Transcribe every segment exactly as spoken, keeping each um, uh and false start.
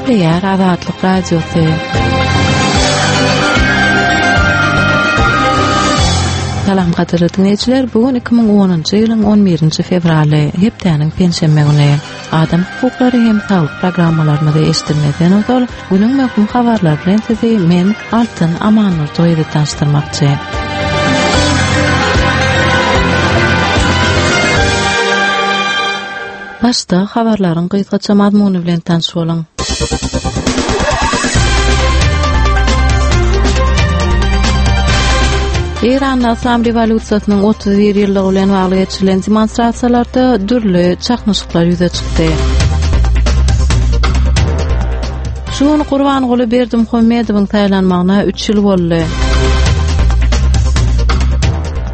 Gepleýär Azatlyk Radiosy. Salam gadyrly diňleýjiler, bu gün iki müň onunjy ýylyň on birinji fewraly, hepdäniň penşenbe güni. Adam hukuklary hem saglyk programmalarymyzy eşitdirmezden ozal, günüň möhüm habarlary bilen sizi men Altyn Amannurdyýewa tanyşdyrmakçy. Başda habarlaryň gysgaça mazmuny bilen tanyş boluň. Eýranda Yslam rewolýusiýasynyň otuz bir ýyllygy bilen bagly geçirilen demonstrasiýalarda dürli çaknyşyklar ýüze çykdy. Şu gün Gurbanguly Berdimuhamedowyň saýlanmagyna üç ýyl boldy.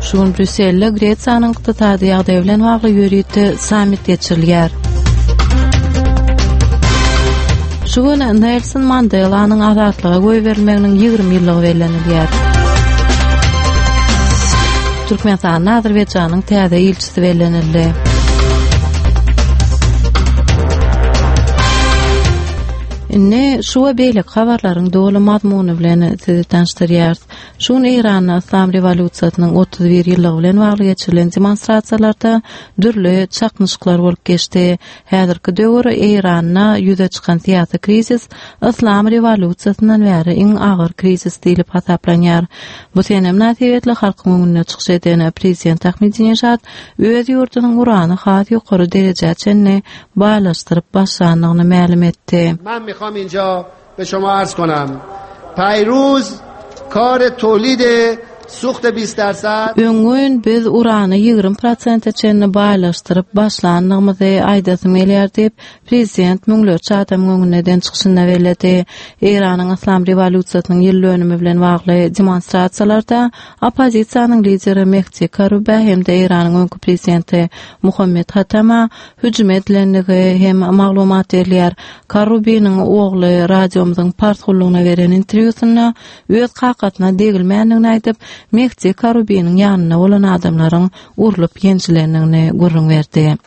Şu gün Brýusselde Gresiýanyň ykdysady ýagdaýy bilen bagly ýörite sammit geçirilýär. Şu gün Nelson Mandelanyň azatlyga goýberilmeginiň ýigrimi ýyllygy bellenilýär. Türkmenistanda Azerbaýjanyň täze ilçisi bellenildi. Indi şu we beýleki habarlaryň doly mazmuny bilen sizi tanyşdyrýarys. Şu gün Eýranda Yslam rewolýusiýasynyň otuz bir ýyllygy bilen bagly geçirilen demonstrasiýalarda dürli çaknyşyklar bolup geçdi. Häzirki döwür Eýranda ýüze çykan syýasy krizis Yslam rewolýusiýasyndan bäri iň agyr krizis diýlip hasaplanýar. Bu sene mynasybetli halkyň öňünde çykyş eden prezident Ahmedinejad öz ýurdunyň urany has ýokary derejä çenli baýlaşdyryp başlandygyny mälim etdi. Men mikham inja be şoma arz konam. Paýruz kar tolid suht بیست درصد. Öňňün biz urany ýigrimi prosente çenli baýlaşdyryp başlandygymyzy aýdasym gelýär diýip, prezident müňlerçe adamyň öňünde eden çykyşynda belledi. Eýranyň Yslam rewolýusiýasynyň ýyl dönümi bilen bagly demonstrasiýalarda oppozisiýanyň lideri Mehdi Karubä hem-de Eýranyň öňki prezidenti Muhammed Hatama hüjüm edilendigi hem maglumat berilýär. Karubiniň ogly radiomyzyň pars gullugyna beren interwýusynda öz kakasyna degilmändigini aýdyp, Mehdi Karubiniň ýanynda bolan adamlaryň urlup ýenjilendigini gürrüň berdi.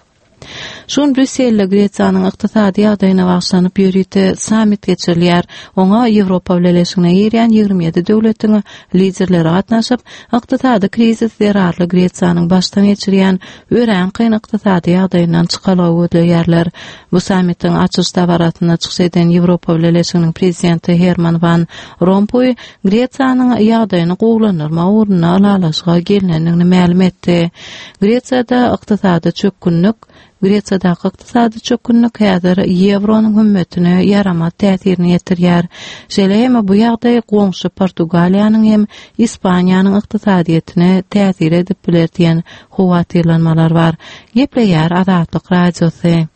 Şu gün Brýusselde Gresiýanyň ykdysady ýagdaýyna bagyşlanyp ýörite sammit geçirilýär. Oňa Ýewropa Bileleşigine girýän ýigrimi ýedi döwletiň liderleri gatnaşyp, ykdysady krizis zerarly Gresiýanyň başdan geçirýän örän kyn ykdysady ýagdaýyndan çykalga gözleýärler. Bu sammitiň açyş dabarasynda çykyş eden Ýewropa Bileleşiginiň prezidenti Herman Van Rompuý Gresiýanyň ýagdaýyny gowulandyrmak ugrunda ylalaşyga gelnendigini mälim etdi. Gresiýada ykdysady çökgünlik Gresiýadaky ykdysady çökgünlik häzir ýewronyň hümmetine ýaramaz täsirini ýetirýär. Şeýle hem bu ýagdaý goňşy Portugaliýanyň hem Ispaniýanyň ykdysadyýetine täsir edip biler diýen howatyrlanmalar bar. Gepleýär Azatlyk Radiosy.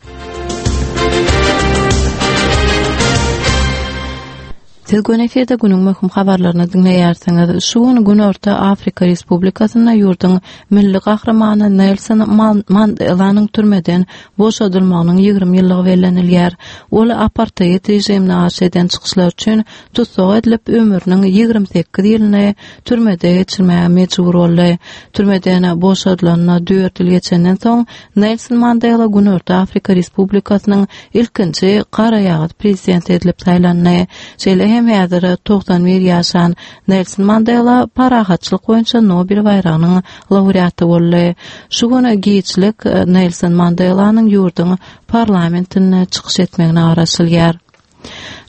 Siz göni efirde günüň möhüm habarlaryny diňleýärsiňiz. Şu gün Günorta Afrika Respublikasynda ýurduň milli gahrymany Nelson Mandelanyň türmeden boşadylmagynyň ýigrimi ýyllygy bellenilýär. Ol apartheid režimine garşy eden çykyşlar üçin tussag edilip, ömrüniň ýigrimi sekiz ýylyny türmede geçirmäge mejbur boldy. Türmeden boşadylanyna dört ýyl geçenden soň Nelson Mandela Günorta Afrika Respublikasynyň ilkinji garaýagyz prezidenti edilip saýlandy. Şeýle hem häzir togsan bir ýaşan Nelson Mandela parahatçylyk boýunça Nobel baýragynyň laureaty boldy. Şu gün giçlik Nelson Mandelanyň ýurduň parlamentinde çykyş etmegine garaşylýar.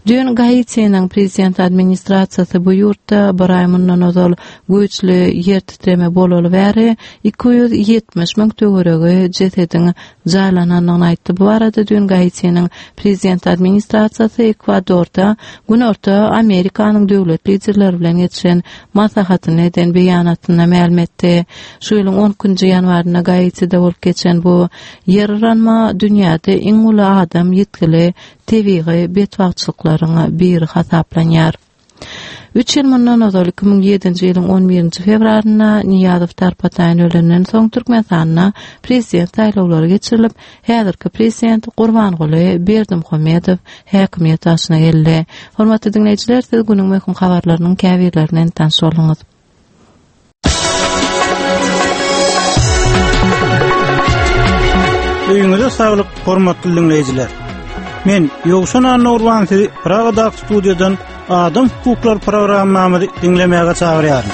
Düýn Gaitiniň prezident administrasiýasy bu ýurtda bir aý mundan ozal güýçli ýer titreme bolaly bäri iki ýüz ýetmiş müň töweregi jesediň jaýlanandygyny aýtdy. Bu barada düýn Gaitiniň prezident administrasiýasy Ekwadorda Günorta Amerikanyň döwlet liderleri bilen geçiren maslahatyny eden beýanatynda mälim etdi. Şu ýylyň on ikinji ýanwarynda Gaitide bolup geçen bu ýer yranma dünýäde iň uly adam ýitgili tebigy betbagtçylyklaryň biri hasaplanýar. Üç ýyl mundan ozal iki müň ýedinji ýylyň on birinji fewralynda Niýazow Tarpataýyn ölenden soň Türkmenistanda prezident saýlawlary geçirilip, häzirki prezident Gurbanguly Berdimuhamedow häkimiýet başyna geldi. Hormatly diňleýjiler, siz günüň möhüm habarlarynyň käbirlerinden tanyş bolduňyz. Öýüňize saglyk, hormatly diňleýjiler. Men Ýowşan Annagurban sizi Pragadaky studiýadan Adam hukuklary programmamyzy diňlemäge çagyrýaryn.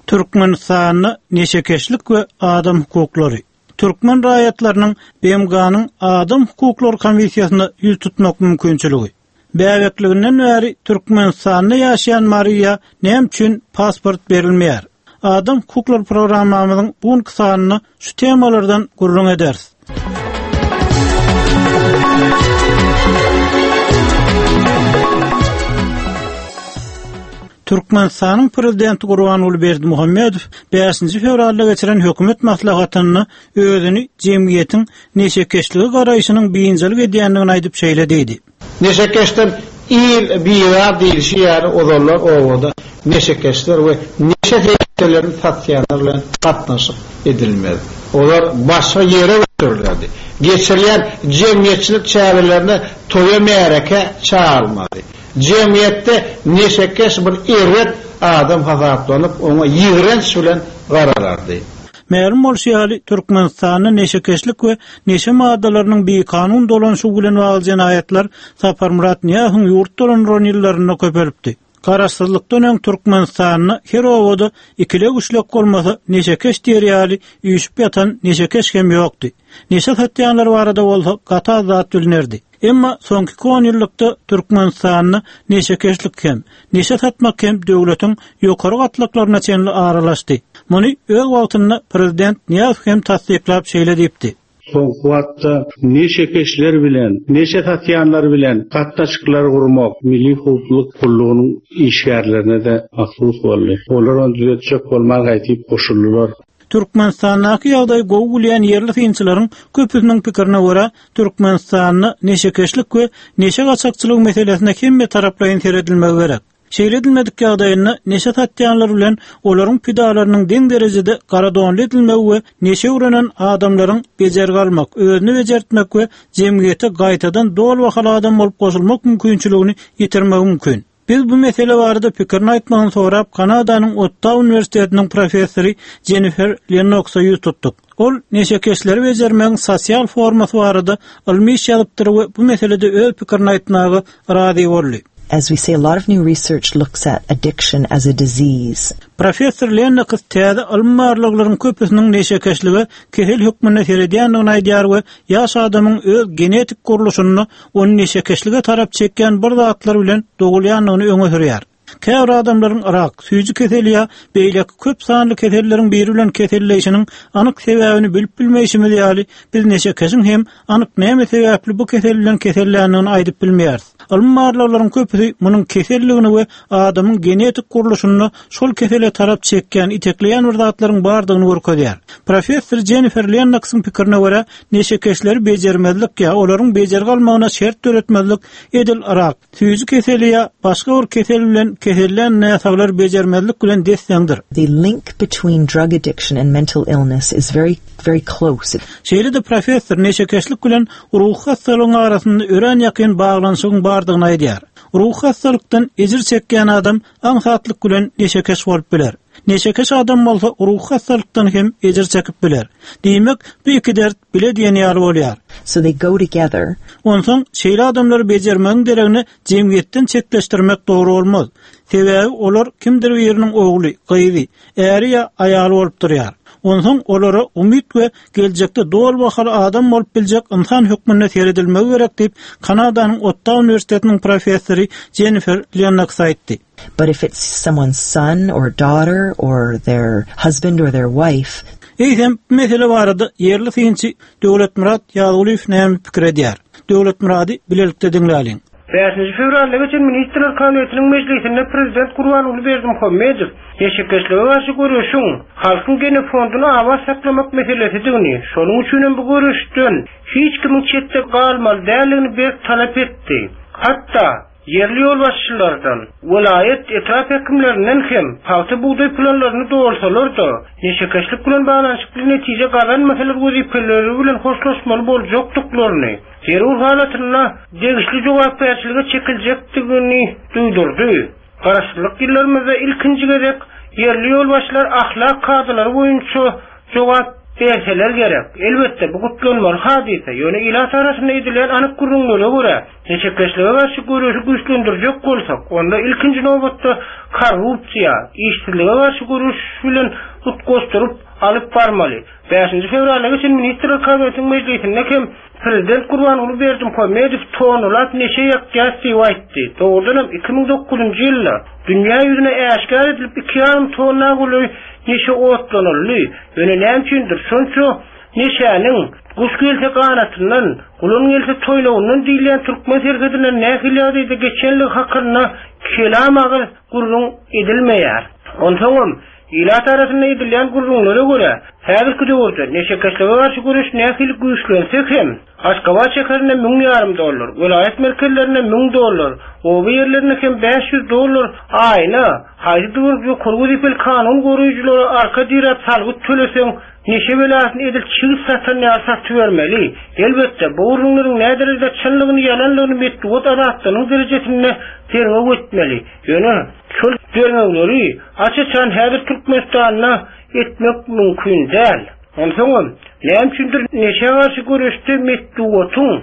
Türkmenistanda neşekeşlik we adam hukuklary. Türkmen raýatlarynyň B M G-nyň Adam hukuklary komissiýasyna ýüz tutmak mümkinçiligi. Bäbekliginden bäri Türkmenistanda ýaşaýan Mariýa näme üçin pasport berilmeýär? Adam hukuklary programmamyzyň bu sanynda şu temalardan gürrüň ederis. Türkmenistanyň prezidenti Gurbanguly Berdimuhamedow bäşinji fewralda geçiren hökümet maslahatynda özüni jemgyýetiň neşekeşlige garaýşynyň biynjalyk edýändigini aýdyp şeýle diýdi. Neşekeşden il biýar diýilişi ýaly ozallar owada neşekeşler we neşe serişdelerini satýanlar bilen gatnaşyk edilmez. Olar başga ýere götürildi. Geçirilen jemgyýetçilik çärelerine toýa märeke çağırmaly. Jemgyýetde neşekeş bir erbet adam hasaplanyp, oňa ýigrenç bilen garalardy. Mälim bolşy ýaly, Türkmenistanda neşekeşlik we neşe maddalarynyň bikanun dolanşygy bilen bagly jenaýatlar Saparmyrat Nyýazowyň ýurt dolandyran ýyllarynda köpelipdi. Garaşsyzlykdan öň Türkmenistanda her owada ikile güçlek bolmasa neşekeş diýer ýaly üýşüp ýatan neşekeş hem ýokdy. Neşe satýanlar barada bolsa gaty az zat bilinerdi. Emma soňky on ýyllykda Türkmenistanda neşekeşlik hem, neşe satmak hem döwletiň ýokary gatlaklaryna çenli aralaşdy. Muny öz wagtynda prezident Nyýazow hem tassyklap şeýle diýipdi. Soňky wagtda neşekeşler bilen, neşe satýanlar bilen gatnaşyklar gurmak Milli howpsuzlyk gullugynyň işgärlerine de mahsus boldy. Olar ony düzetjek bolman gaýtyp goşuldylar. Türkmenistandaky ýagdaý gowy bilýän ýerli synçylaryň köpüsiniň pikirine görä, Türkmenistanda neşekeşlik we neşe gaçakçylygy meselesine hemme taraplaýyn seredilmegi gerek. Şeýle edilmedik ýagdaýynda neşe satýanlar bilen olaryň pidalarynyň deň derejede garadonly edilmegi we neşe öwrenen adamlaryň bejergi almak, özüni bejertmek we jemgyýete gaýtadan doly bahaly adam bolup goşulmak mümkinçiligini ýitirmegi mümkin. Biz bu mesele barada pikirini aýtmagyny sorap Kanadanyň Ottawa Uniwersitetiniň professory Jennifer Lennoxa ýüz tutduk. Ol neşekeşleri bejermegiň sosial formasy barada ylmy iş ýazypdyr we bu meselede öz pikirini aýtmaga razy boldy. As we say, a lot of new research looks at addiction as a disease. Professor Lennox täze ylmy barlaglaryň köpüsiniň neşekeşlige kesel hökmünde seredýändigini aýdýar we ýaş adamyň öz genetik gurluşyny ony neşekeşlige tarap çekýän bir zatlar bilen dogulýandygyny öňe sürýär. Käbir adamlaryň rak, süýji keseli ýa beýleki köp sanly keselleriň biri bilen keselleýşiniň anyk sebäbini bilip bilmeýşimiz ýaly, biz neşekeşiň hem anyk näme sebäpli bu kesel bilen keselländigini aýdyp bilmeýäris. Ylmy barlaglaryň köpüsi munuň keselligini we adamyň genetik gurluşyny şol kesele tarap çekýän, itekleýän bir zatlaryň bardygyny görkezýär. Professor Jennifer Lennoxyň pikirine görä, neşekeşleri bejermezlik ýa olaryň bejergi almagyna şert döretmezlik edil rak, süýji keseli ýa başga bir kesel bilen kesellän näsaglar bejermezlik bilen desseňdir. The link between drug addiction and mental illness is very, very close. Şeýle-de professor neşekeşlik bilen ruhy hastalygyň arasynda örän ýakyn baglanyşygyň bardygyny aýdýar. Ruhy hastalykdan ejir çekýän adam aňsatlyk bilen neşekeş bolup biler. Neşekeş adam bolsa ruhy hastalykdan hem ejir çekip biler. Diýmek, bu iki dert bile diýen ýaly bolýar. So they go together. Onsoň şeýle adamlary bejermegiň deregine jemgyýetden çetleşdirmek dogry bolmaz. Sebäbi olar kimdir biriniň ogly, gyzy, äri ýa aýaly bolup durýar. Onsoň olara umyt we geljekde doly bahaly adam bolup biljek insan hökmünde seredilmegi gerek diýip, Kanadanyň Ottawa Uniwersitetiniň professory Jennifer Lennox aýtdy. But if it's someone's son or daughter or their husband or their wife, Eýsem, bu mesele barada ýerli synçy Döwletmyrat Ýazgulyýew näme pikir edýär? Döwletmyrady bilelikde diňläliň. Bäşinji fewralda geçen Ministrler Kabinetiniň mejlisinde Prezident Gurbanguly Berdimuhamedow neşekeşlige garşy göreşiň halkyň genofondyny abat saklamak meselesidigini, şonuň üçin hem bu göreşden hiç kimiň çetde galmaly däldigini berk talap etdi. Hatda ýerli ýolbaşçylardan, welaýat etrap häkimlerinden hem pagta bugdaý planlaryny dolsalar-da, neşekeşlik bilen baglanyşykly netije gazanmasalar wezipeleri bilen hoşlaşmaly boljakdyklaryny, zerur halatynda degişli jogapkärçilige çekiljekdigini duýdurdy. Garaşsyzlyk ýyllarymyzda ilkinji gezek ýerli ýolbaşçylar ahlak kadalary boýunça jogap berseler gerek. Elbetde bu gutlanmaly hadysa. Ýöne ilat arasynda edilen anyk gürrüňlere görä, neşekeşlige garşy göreşi güýçlendirjek bolsak, onda ilkinji nobatda korrupsiýa, işsizlige garşy göreş bilen utgaşdyryp alyp barmaly. Bäşinji fewralda geçen Ministrler Kabinetiniň mejlisinde hem Prezident Gurbanguly Berdimuhamedow tonalap neşe ýakýas diýip aýtdy. Dogrudanam iki müň dokuzynjy ýylda dünýä ýüzüne äşgär edilip iki ýarym tonna golaý neşe otlanyldy. Ýöne näme üçindir şonça neşäniň guş gelse ganatyndan, gulan gelse toýnagyndan diýilýän türkmen serhedinden nähili ýagdaýda geçenligi hakynda kelam agyz gürrüň edilmeýär. Onsoňam ilat arasynda edilýän gürrüňlere görä, häzirki döwürde neşekeşlige garşy göreş nähili güýçlense hem, Aşgabat şäherinde müň ýarym dollar, welaýat merkezlerinde müň dollar, oba ýerlerinde hem bäş ýüz dollar aýyna haýsy bir ýokary wezipeli kanun goraýjylara arka diräp salgyt töleseň, neşe belasyny edil çigit satan ýaly satybermeli. Elbetde, bu gürrüňleriň näderejede çynlygyny, ýalanlygyny metbugat azatlygynyň derejesinde derňew etmeli. Ýöne şol derňewleri aç-açan häzir Türkmenistanda etmek mümkin däl. Onsoňam, näme üçindir neşe garşy göreşde metbugatyň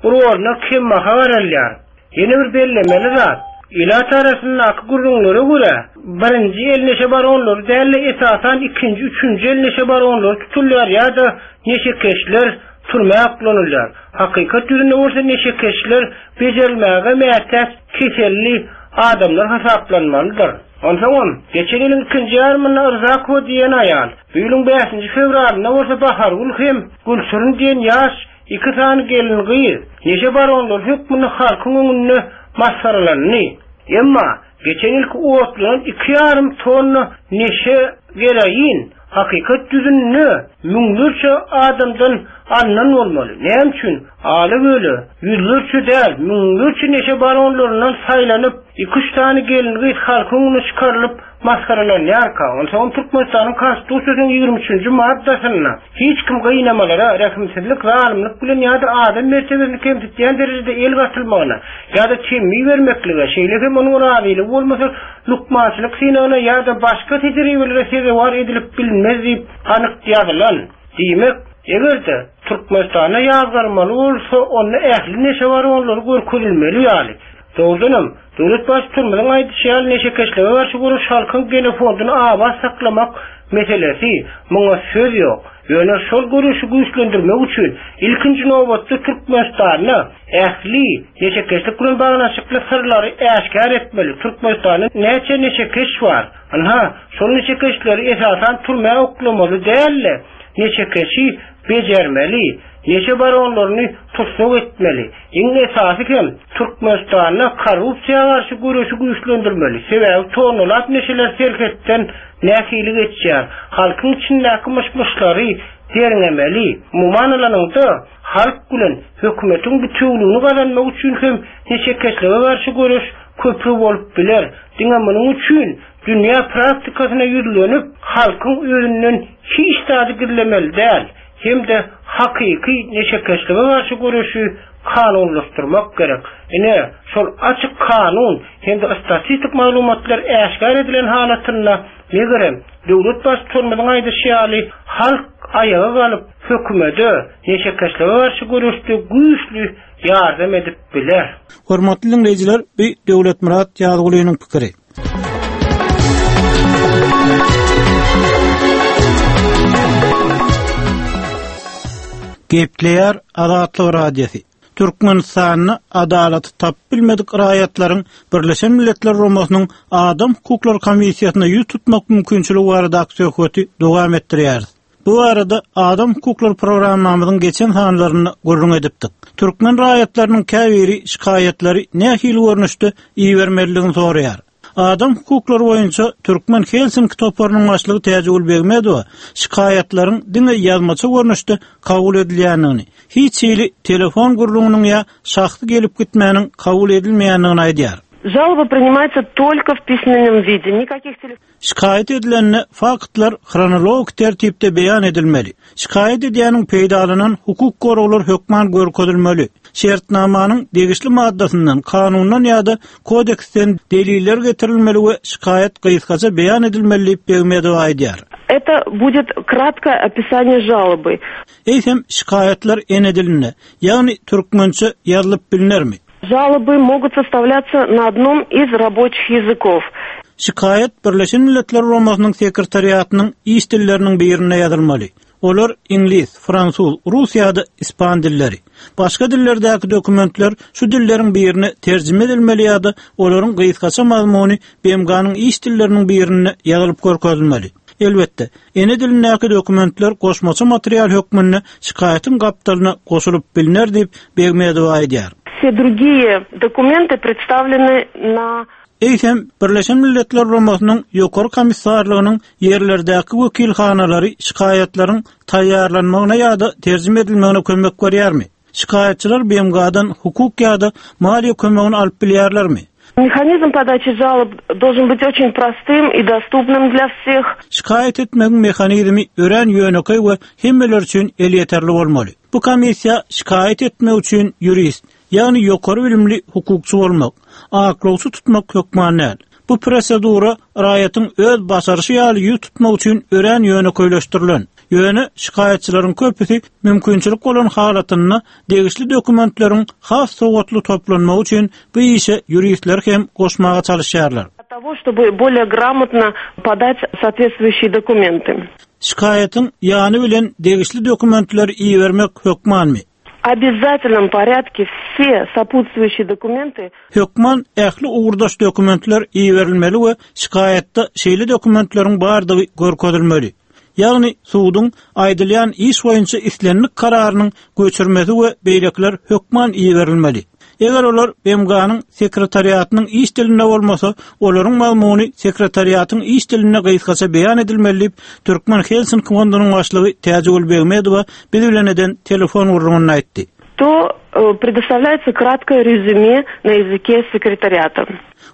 roluna kembaha garalýar. Ýene bir bellemeli zat, ilat arasyndaky gürrüňlere görä, birinji el neşe baronlary däl-de esasan ikinji, üçünji el neşe baronlary tutulýar ýa-da neşekeşler türmä aklanylýar. Hakykat ýüzünde bolsa neşekeşler bejerilmäge mätäç keselli adamlar hasaplanmalydyr. Onsoňam, geçen ýylyň ikinji ýarymynda Rzakowa diýen aýal, bu ýylyň bäşinji fewralynda bolsa Bahargül hem Gülşirin diýen ýaş iki sany gelin gyz neşe baronlary hökmünde halkyň öňünde masgaralandy. Emma geçen ýylky otlanan iki ýarym tonna neşe gereýin hakykat ýüzünde müňlerçe adamdan alnan bolmaly. Näme üçin? Aly böle ýüzlerçe däl, müňlerçe neşe baronlaryndan saýlanyp, iki üç sany gelin gyz halkyň öňüne çykarylyp masgaralanýarka. Onsoň Türkmenistanyň Konstitusiýasynyň ýigrimi üçünji maddasynda hiç kim gynamalara, rehimsizlik, zalymlyk bilen ýa-da adam mertebesini kemsitýän derejede el gatylmagyna ýa-da temmi bermeklige, şeýle hem onuň razylygy bolmasa lukmançylyk synagyna ýa-da başga tejribelere sezewar edilip bilinmez diýip anyk ýazylan. Diýmek, eger-de Türkmenistanda ýazgarmaly bolsa, onda ähli neşe baronlary görkezilmeli ýaly. Dogrudanam, döwlet baştutanymyzyň aýdyşy ýaly neşekeşlige garşy göreş halkyň genofondyny abat saklamak meselesi, muňa söz ýok. Ýöne şol göreşi güýçlendirmek üçin ilkinji nobatda Türkmenistanda ähli neşekeşlik bilen baglanyşykly syrlary äşgär etmeli. Türkmenistanda näçe neşekeş bar? Anha, şol neşekeşleri esasan türmä oklamaly däl-de, neşekeşi bejermeli, neşe baronlaryny tussag etmeli. Iň esasy hem Türkmenistanda korrupsiýa garşy göreşi güýçlendirmeli. Sebäbi tonalap neşeler serhetden nähili geçýär? Halkyň içindäki myş-myşlary derňemeli. Umuman alanyňda halk bilen hökümetiň bütewligini gazanmak üçin hem neşekeşlige garşy göreş köprü bolup biler. Diňe munuň üçin dünýä praktikasyna ýüzlenip, halkyň özünden hiç zady gizlemeli däl. Hem de hakyky neşekeşlige garşy göreşi kanunlaşdyrmak gerek. Ine, şol açyk kanun hem de statistik maglumatlar äşgär edilen halatynda megerem döwlet baştutanymyzyň aýdyşy ýaly halk aýaga galyp hökümete neşekeşlige garşy göreşde güýçli ýardam edip biler. Hormatly dinleýjiler, bu Döwletmyrat Ýazgulynyň pikiri. Gepleýär Azatlyk Radiosy. Türkmenistanda adalaty tapyp bilmedik raýatlaryň Birleşen Milletler Guramasynyň Adam Hukuklary Komissiýasyna ýüz tutmak mümkinçiligi baradaky söhbeti dowam etdirýäris. Bu arada Adam Hukuklary programmamyzyň geçen sanlarynda gürrüň edipdik. Türkmen raýatlarynyň käbiri şikaýatlary nähili görnüşde ibermelidigini soraýar. Adam hukuklary boýunça Türkmen Helsinki toparynyň başlygy Täjigül Begmedowa şikaýatlaryň diňe ýazmaça görnüşde kabul edilýändigini, hiç hili telefon gürrüňiniň ýa şahsy gelip gitmäniň kabul edilmeýändigini aýdýar. Жалоба принимается только в письменном виде. Никаких телеф- Şikaýat edilende faktlar hronologik tertipde beýan edilmeli. Şikaýat edýäniň peýdalanan hukuk goraglar hökman görkezilmeli. Şertnamanyň degişli maddasyndan, kanundan ýa-da kodeksden deliller getirilmeli we şikaýat gysgaça beýan edilmeli diýip Begmedowa aýdýar. Это будет краткое описание жалобы. Eýsem şikaýatlar ene dilinde, ýagny türkmençe ýazylyp bilinermi? Жалобы могут составляться на одном из рабочих языков. Şikaýat Birleşen Milletler Guramasynyň sekretariatynyň iş dilleriniň birine ýazylmaly. Olar iňlis, fransuz, rus ýa-da ispan dilleri. Başga dillerdäki dokumentler şu dilleriň birine terjime edilmeli ýa-da olaryň gysgaça mazmuny B M G-nyň iş dilleriniň birine ýazylyp görkezilmeli. Elbetde, ene dilindäki dokumentler goşmaça material hökmünde şikaýatyň gapdalyna goşulyp biliner diýip Begmedowa aýdýar. Все другие документы представлены на Eýsem Birleşen Milletler Guramasynyň Ýokary Komissarlygynyň ýerlerdäki wekilhanalary şikaýatlaryň taýýarlanmagyna ýa-da terjime edilmegine kömek berýärmi? Şikaýatçylar B M G-dan hukuk ýa-da maliýe kömegini alyp bilýärlermi? Механизм подачи жалоб должен быть очень простым и доступным для всех. Şikaýat etmegiň mehanizmi örän ýönekeý we hemmeler üçin elýeterli bolmaly. Bu komissiýa şikaýat etmek üçin ýurist, ýagny ýokary bilimli hukukçy bolmak, aklawçy tutmak hökman däl. Bu prosedura raýatyň öz başaryşy ýaly ýüz tutmak üçin örän ýönekeýleşdirilen. Ýöne şikaýatçylaryň köpüsi mümkinçilik bolan halatynda degişli dokumentleriň has sowatly toplanmagy üçin bu işe ýuristler hem goşmaga çalışýarlar. Того, чтобы более грамотно подать соответствующие документы. Şikaýatyň ýany bilen degişli dokumentleri ibermek hökmanmy? Обязательном порядке все сопутствующие документы. Hökman ähli ugurdaş dokumentler iberilmeli we şikaýatda şeýle dokumentleriň bardygy görkezilmeli. Ýagny suduň aýdylýan iş boýunça islendik kararynyň göçürmesi we beýlekiler hökman iberilmeli. Eger olar B M G-nyň sekretariatynyň iş dilinde bolmasa, olaryň mazmuny sekretariatyň iş dilinde gysgaça beýan edilmeli diýip, Türkmen Helsinki fondunyň başlygy Täjigül Begmedowa biz bilen eden telefon gürrüňinde aýtdy. То э, предоставляется краткое резюме на языке секретариата.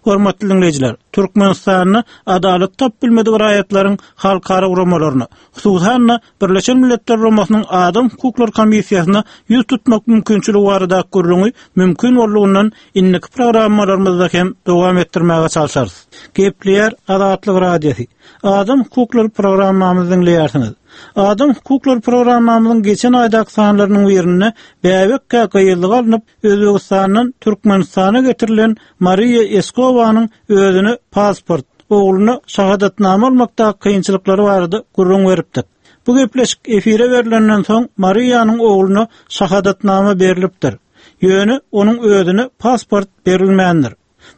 Hormatly dinleýjiler, Türkmenistanda adalat tap bilmedik raýatlaryň halkara guramalaryna, hususan Birleşen Milletler Guramasynyň Adam hukuklary komissiýasyna ýüz tutmak mümkinçiligi barada gürrüňi mümkin boldugynyň indiki programmalarymyzda hem dowam etdirmäge çalışarys. Gepleýär Azatlyk Radiosy. Adam hukuklary programmamyzy dinleýärsiňiz. Adam hukuklary programmamyzyň geçen aýdaky sanlarynyň birinde bäbekkä gyýyllyk alnyp Özbegistandan Türkmenistana getirilen Mariýa Eskowanyň özüne pasport, ogluna şahadatnama almakda kynçylyklary barada gürrüň beripdik. Bu gepleşik efire berilenden soň Mariýanyň ogluna şahadatnama berilipdir. Ýöne onuň özüne pasport berilmändir.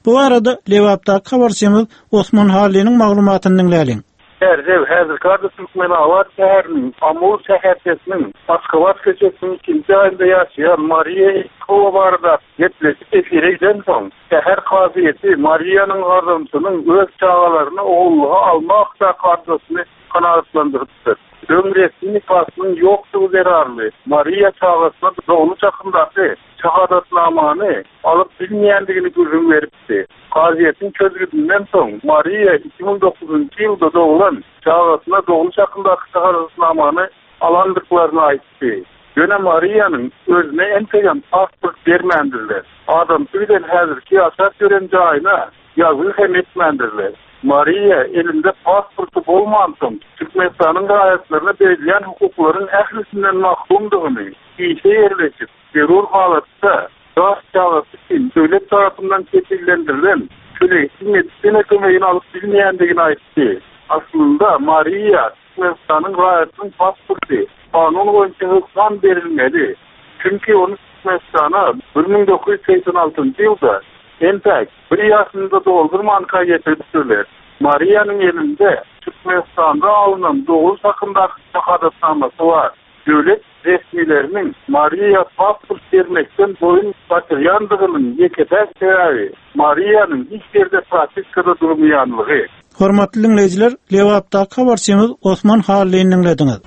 Bu arada Lebapdaky habarçymyz Osman Hallinyň maglumatyny diňläliň. Erdev häzirki Türkmenabat şäheriniň Amul şäherçesiniň Aşgabat köçesiniň ikinji aýynda ýaşaýan Mariýa Eskowa barada gepleşik efire giden soň, şäher kazyýeti Mariýanyň adamsynyň öz çagalaryny ogullyga almak arzasyny kanaatlandyrypdyr. Öň resmi nikasynyň ýokdugy zerarly Mariýa çagasyna dogluş hakyndaky şahadatnamany alyp bilmeýändigini gürrüň beripdi. Kazyýetiň çözgüdinden soň Mariýa iki müň dokuzynjy ýylda doglan çagasyna dogluş hakyndaky şahadatnamany alandyklaryny aýtdy. Ýöne Mariýanyň özüne entegem pasport bermändirler. Adamsy bilen häzirki ýaşap ýören jaýyna ýazgy hem etmändirler. Mariýa elinde pasporty bolmansoň Türkmenistanyň raýatlaryna berilýän hukuklaryň ählisinden mahrumdygyny, işe ýerleşip, zerur halatda ýaş çagasy üçin döwlet tarapyndan kepillendirilen tölegsiz medisina kömegini alyp bilmeýändigini aýtdy. Aslynda Mariýa Türkmenistanyň raýatynyň pasporty kanun boýunça hökman berilmeli. Çünki ony Türkmenistana bir müň dokuz ýüz segsen altynjy ýylda entek bir ýaşynda doldurmanka getiripdirler. Mariýanyň elinde Türkmenistanda alynan doguluş hakyndaky şahadatnamasy bar. Döwlet resmileriniň Mariýa pasport bermekden boýun gaçyrýandygynyň ýeke-täk sebäbi Mariýanyň hiç ýerde propiskada durmaýanlygy. Hormatly dinleýjiler, Lebapdaky habarçymyz Osman Hallyny diňlediňiz.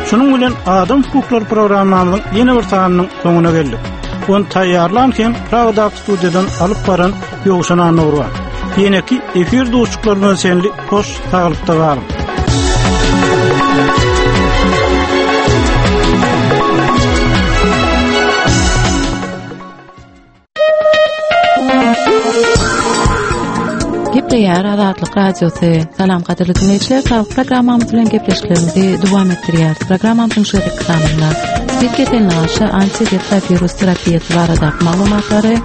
Şunuň bilen Adam hukuklary programmamyzyň ýene bir sanynyň soňuna geldik. Ony taýýarlan hem Pragadaky studiýadan alyp baran Ýowşan Annurwa. Ýeneki efir duşuklaryna çenli hoş saglykda galyň. Gepleýär Azatlyk Radiosy. Salam gadyrly diňleýjiler, saglyk programmamyz bilen gepleşiklerimizi dowam etdirýäris. Programmamyzyň şu gezekki sanynda SPID keseline garşy antiretrawirus terapiýasy baradaky maglumatlary,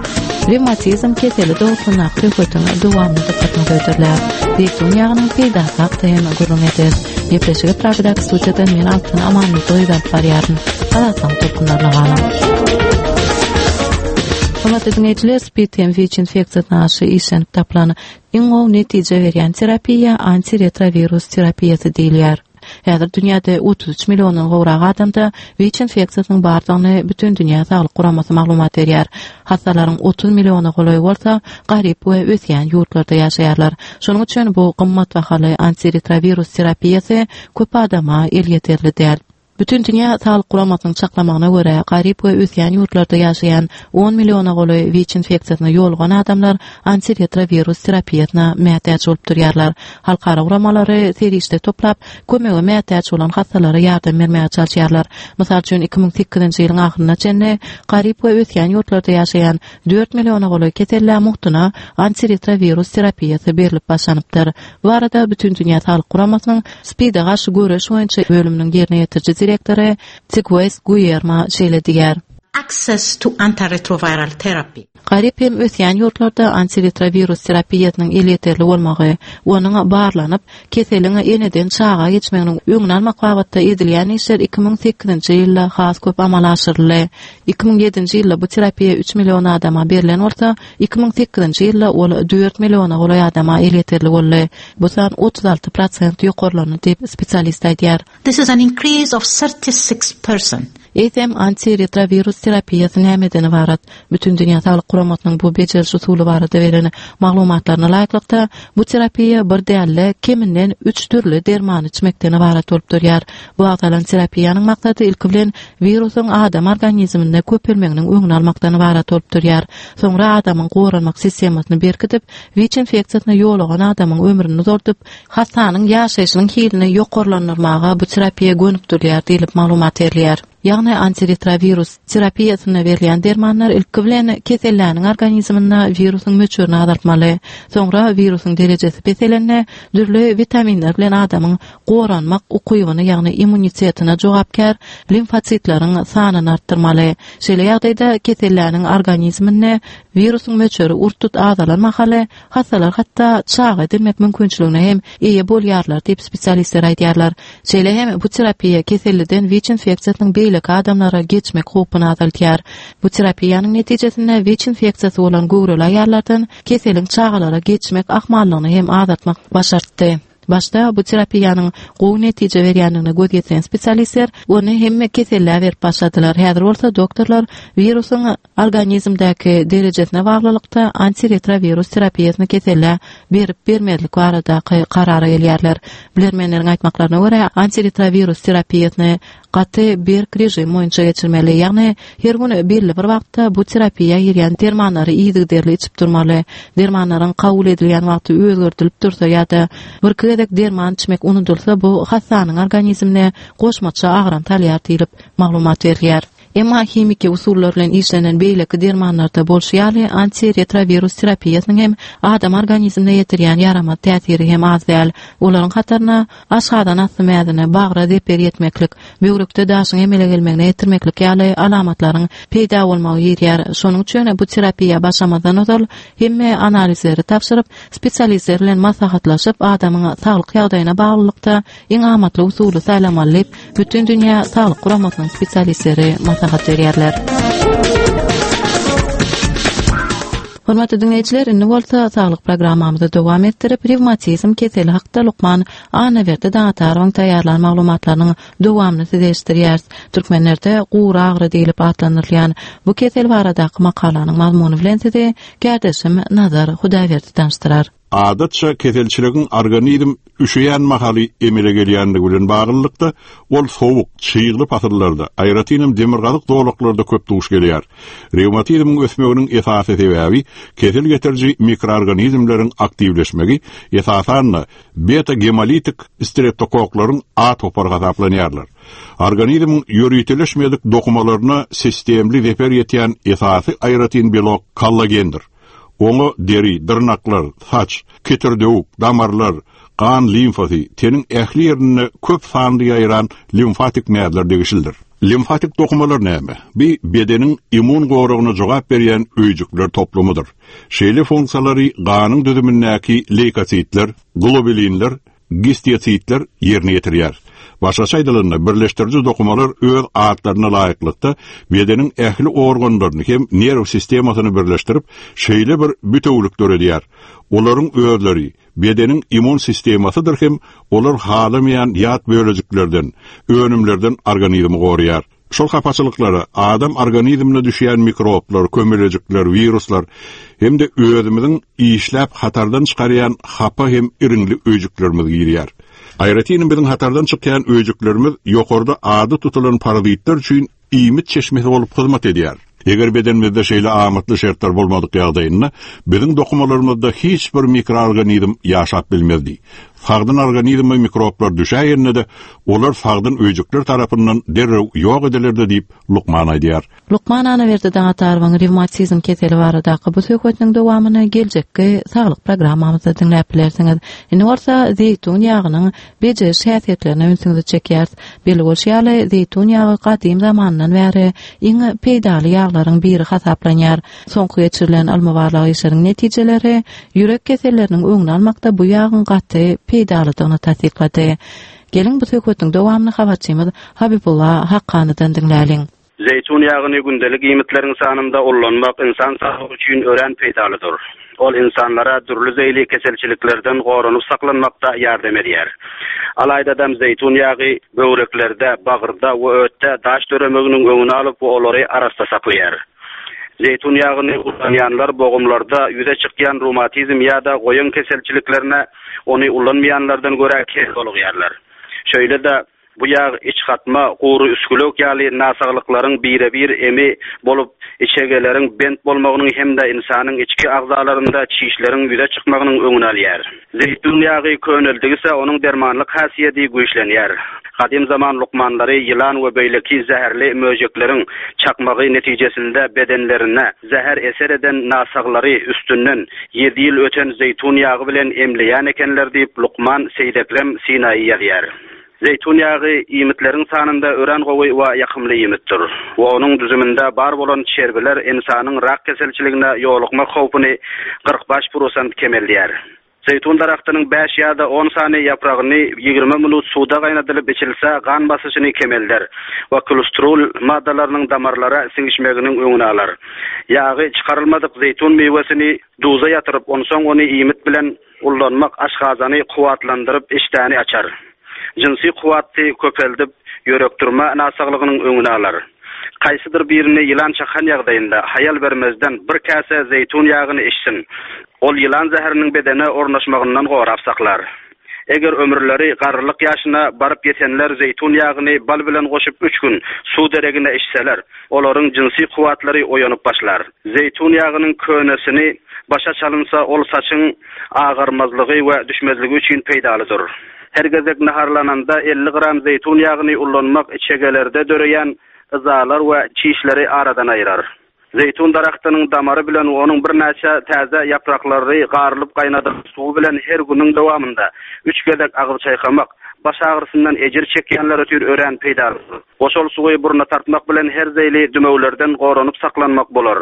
rewmatizm keseli dogrusyndaky söhbetiň dowamyny dykgatyňyza hödürläris. Zeýtun ýagynyň peýdasy hakda hem gürrüň ederis. Gepleşigi Pragadaky studiýadan men Altyn Amanmyradowa alyp barýaryn. Azatlygyň tolkunlaryna galyň. Hormatly diňleýjiler, SPID hem WIÇ infeksiýasyna garşy işlenip tapylan iň gowy netije berýän terapiýa antiretrowirus terapiýasy diýilýär. Häzir dünýäde otuz üç milliondan gowrak adamda WIÇ infeksiýasynyň bardygyny Bütindünýä Saglyk Guramasy maglumat berýär. Hassalaryň otuz milliona golaýy bolsa garyp we ösýän ýurtlarda ýaşaýarlar. Şonuň üçin bu gymmatbahaly antiretrowirus terapiýasy köp adama elýeterli däl. Bütindünýä Saglyk Guramasynyň çaklamagyna görä, garyp we ösýän ýurtlarda ýaşaýan on milliona golaý WIÇ infeksiýasyna ýolugan adamlar antiretrowirus terapiýasyna mätäç bolup durýarlar. Halkara guramalary serişde toplap, kömege mätäç bolan hassalara ýardam bermäge çalyşýarlar. Mysal üçin, iki müň sekizinji ýylyň ahyryna çenli garyp we ösýän ýurtlarda ýaşaýan dört milliona golaý kesellä mugtuna antiretrowirus terapiýasy berlip başlanypdyr. Bu barada Bütindünýä Saglyk Guramasynyň SPID-e garşy göreş boýunça bölüminiň ýerine ýetiriji direktory Tigues Guillermo şeýle diýýär. Access to antiretroviral therapy. Garyp hem ösýän ýurtlarda antiretrowirus terapiýasynyň elýeterli bolmagy, onuň barlanyp, keseliň eneden çaga geçmeginiň öňüni almak babatda edilýän işler iki müň sekizinji ýylda has köp amala aşyryldy. Iki müň ýedinji ýylda bu terapiýa üç million adama berlen bolsa, iki müň sekizinji ýylda ol dört milliona golaý adama elýeterli boldy. Bu san otuz alty prosent ýokarlandy diýip spesialist aýdýar. This is an increase of thirty-six percent. Eýsem antiretrowirus terapiýasy nämeden ybarat? Bütindünýä Saglyk Guramasynyň bu bejeriş usuly barada beren maglumatlaryna laýyklykda, bu terapiýa bir däl-de, keminden üç dürli dermany içmekden ybarat bolup durýar. Bu agzalan terapiýanyň maksady ilki bilen wirusyň adam organizminde köpelmeginiň öňüni almakdan ybarat bolup durýar. Soňra adamyň goranmak sistemasyny berkidip, WIÇ infeksiýasyna ýolugan adamyň ömrüni uzaldyp, hassanyň ýaşaýşynyň hilini ýokarlandyrmaga bu terapiýa gönükdirilýär diýlip maglumat berilýär. Ýagny antiretrowirus terapiýasynda berilýän dermanlar ilki bilen keselläniň organizminde wirusyň möçberini azaltmaly. Soňra wirusyň derejesi peselende dürli witaminler bilen adamyň goranmak ukybyny, ýagny immunitetine jogapkär limfositleriň sanyny artdyrmaly. Şeýle ýagdaýda keselläniň organizminde wirusyň möçberi urt-tut azalan mahaly hassalar hatda çaga edilmek mümkinçiligine hem eýe bolýarlar diýip spesialistler aýdýarlar. Şeýle hem bu terapiýa keselliden WIÇ infeksiýasynyň beýleki adamlara geçmek howpuny azaltýar. Bu terapiýanyň netijesinde WIÇ infeksiýasy bolan göwreli aýallardan keseliň çagalara geçmek ahmallygyny hem azaltmak başartdy. Başda bu terapiýanyň gowy netije berýändigine göz ýetiren spesialistler ony hemme kesellä berip başladylar. Häzir bolsa doktorlar wirusyň organizmdäki derejesine baglylykda antiretrowirus terapiýasyny kesellä berip bermezlik baradaky karara gelýärler. Bilermenleriň aýtmaklaryna görä, antiretrowirus terapiýasyny gaty berk režim boýunça geçirmeli. Ýagny her gün belli bir wagtda bu terapiýa girýän dermanlary yzygiderli içip durmaly. Dermanlaryň kabul edilýän wagty özgerdilip dursa ýa-da bir iki gezek derman içmek unudylsa, bu hassanyň organizmine goşmaça agram salýar diýlip maglumat berilýär. Emma himiki usullar bilen işlenen beýleki dermanlarda bolşy ýaly antiretrowirus terapiýasynyň hem adam organizmine ýetirýän ýaramaz täsiri hem az däl. Olaryň hataryna aşgazan asty mäzine, bagra zeper ýetmeklik, böwrekde daşyň emele gelmegine ýetirmeklik ýaly alamatlaryň peýda bolmagy girýär. Şonuň üçin bu terapiýa başlamazdan ozal hemme analizleri tabşyryp, spesialistler bilen maslahatlaşyp, adamyň saglyk ýagdaýyna baglylykda iň amatly usuly saýlamaly diýip, Bütindünýä Saglyk Guramasynyň spesialistleri maslahat berýärler. Hormatly diňleýjiler, indi bolsa saglyk programmamyzy dowam etdirip, rewmatizm keseli hakda lukman Annaberdi Daňatarowyň taýýarlan maglumatlarynyň dowamyny size eşitdirýäris. Türkmenlerde gury agyry diýlip atlandyrylýan bu kesel baradaky makalanyň mazmuny bilen sizi kärdeşim Nazar Hudaýberdi tanyşdyrar. Adatça keselçiligiň organizm üşeýän mahaly emele gelýändigi bilen baglylykda, ol sowuk, çygly pasyllarda, aýratynam demirgazyk zolaklarda köp duş gelýär. Rewmatizmiň ösmeginiň esasy sebäbi kesel getiriji mikroorganizmleriň aktiwleşmegi, esasan-da beta-gemolitik streptokoklaryň A topary hasaplanýarlar. Organizmiň ýöriteleşmedik dokumalaryna sistemli zeper ýetýän esasy aýratyn belok kollagendir. Oňa deri, dyrnaklar, saç, ketirdewük, damarlar, gan limfasy, teniň ähli ýerinde köp sanly ýaýran limfatik mäzler degişlidir. Limfatik dokumalar näme? Bi bedeniň immun goragyna jogap berýän öýjükler toplumydyr. Şeýle funksiýalary ganyň düzümindäki leykositler, globulinler, gistiositler ýerine ýetirýär. Başgaça aýdylanda, birleşdiriji dokumalar öz atlaryna laýyklykda bedeniň ähli organlaryny hem nerw sistemasyny birleşdirip, şeýle bir bütewlik döredýär. Olaryň özleri bedeniň immun sistemasydyr hem olar halamaýan ýat bölejiklerden, önümlerden organizmi goraýar. Şol hapaçylyklara adam organizmine düşýän mikroblar, kömelejikler, wiruslar hem-de özümiziň işläp hatardan çykarýan hapa hem iriňli öýjüklerimiz girýär. Aýratyn biziň hatardan çykýan öýjüklerimiz ýokarda ady tutulan parazitler üçin iýmit çeşmesi bolup hyzmat edýär. Eger bedenimizde şeýle amatly şertler bolmadyk ýagdaýynda biziň dokumalarymyzda hiç bir mikroorganizm ýaşap bilmezdi. Sagdyn organizme mikroblar düşäýende de olar sagdyn öýjükler tarapyndan derrew ýok edilerdi diýip lukman aýdýar. Lukman Anaberdi Daňatarowyň revmatizm keseli baradaky bu söhbetiniň dowamyny geljekki saglyk programmamyzda diňläp bilersiňiz. Indi bolsa zeýtun ýagynyň bejeriş häsiýetlerine ünsüňizi çekýäris. Belli bolşy ýaly, zeýtun ýagy gadym zamandan bäri iň peýdaly ýaglaryň biri hasaplanýar. Soňky geçirilen ylmy barlag işleriniň netijeleri ýürek keselleriniň öňüni almakda bu ýagyň gaty peýdalydygyny tassyklady. Geliň bu söhbetiň dowamyny habarçymyz Habibulla Hakkanydan diňläliň. Zeýtun ýagyny gündelik iýmitleriň sanynda ullanmak insan saglygy üçin örän peýdalydyr. Ol insanlara dürli zeýli keselçiliklerden goranyp saklanmakda ýardam edýär. Alaýdadam zeýtun ýagy böwreklerde, bagyrda we ötde daş döremeginiň öňüni alyp we olary arassa saklaýar. Zeýtun ýagyny ullanýanlar bogumlarda ýüze çykýan reumatizm ýa-da goýun keselçiliklerine ony ullanmaýanlardan görä kel bolýarlar. Şeýle-de bu ýag iç gatma, gury üskülük ýaly nasaglyklaryň bire-bir emi bolup, içegeleriň bent bolmagynyň hem-de insanyň içki agzalarynda çişleriň ýüze çykmagynyň öňüni alýar. Zeýtun ýagy köneldigise onuň dermanlyk häsiýeti güýçlenýär. Gadym zaman lukmanlary ýylan we beýleki zäherli möjekleriň çakmagy netijesinde bedenlerine zäher eser eden nasaglary üstünden ýedi ýyl öten zeýtun ýagy bilen emleýän ekenler diýip lukman Seýdekrem Sinaýy ýazýar. Zeýtun ýagy iýmitleriň sanynda örän gowy we ýakymly iýmitdir. We onuň düzüminde bar bolan çerbiler insanyň rak keselçiligine ýolukmak howpuny kyrk bäş prosent kemeldýär. Zeýtun daragtynyň bäş ýa-da on sany ýapragyny ýigrimi minut suwda gaýnadylyp içilse gan basyşyny kemelder we kolesterol maddalarynyň damarlara siňişmeginiň öňüni alar. Ýagy çykarylmadyk zeýtun miwesini duza ýatyryp, onsoň ony iýmit bilen ullanmak aşgazany kuwwatlandyryp işdäni açar. Jynsy kuwwaty köpeldip, ýörekdurma nasaglygynyň öňüni alar. Kaýsydyr birini ýylan çakan ýagdaýynda haýal bermezden bir käse zeýtun ýagyny içsin. Ol ýylan zäheriniň bedene ornaşmagyndan gorap saklar. Eger ömürleri garrylyk ýaşyna baryp ýetenler zeýtun ýagyny bal bilen goşup üç gün suw deregine içseler, olaryň jynsy kuwwatlary oýanyp başlar. Zeýtun ýagynyň könesini başa çalynsa ol saçyň agarmazlygy we düşmezligi üçin peýdalydyr. Her gezek naharlananda elli gram zeýtun ýagyny ullanmak içegelerde döreýän yzalar we çişleri aradan aýyrar. Zeýtun daragtynyň damary bilen onuň birnäçe täze ýapraklary garylyp gaýnadylyp suwy bilen her günüň dowamynda üç gezek agyz çaýkamak baş agyrysyndan ejir çekýänler üçin örän peýdalydyr. Goşal suwy burna tartmak bilen her zeýli dümewlerden goranyp saklanmak bolar.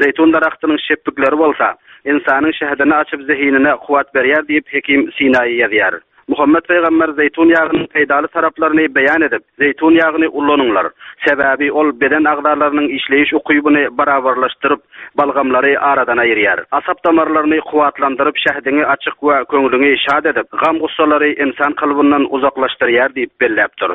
Zeýtun daragtynyň şepbikleri bolsa insanyň şähdini açyp zehinine kuwwat berýär diýip hekim Sinaýy ýazýar. Muhammed Peygamber zeýtun ýagynyň peýdaly taraplaryny beýan edip, zeýtun ýagyny ullanyňlar. Sebäbi ol beden agzalarynyň işleýiş ukybyny barabarlaşdyryp, balgamlary aradan aýyrýar. Asap damarlaryny kuwwatlandyryp, şähdiňi açyk we köňlüňi şad edip, gam gussalary insan kalbyndan uzaklaşdyrýar diýip belläpdir.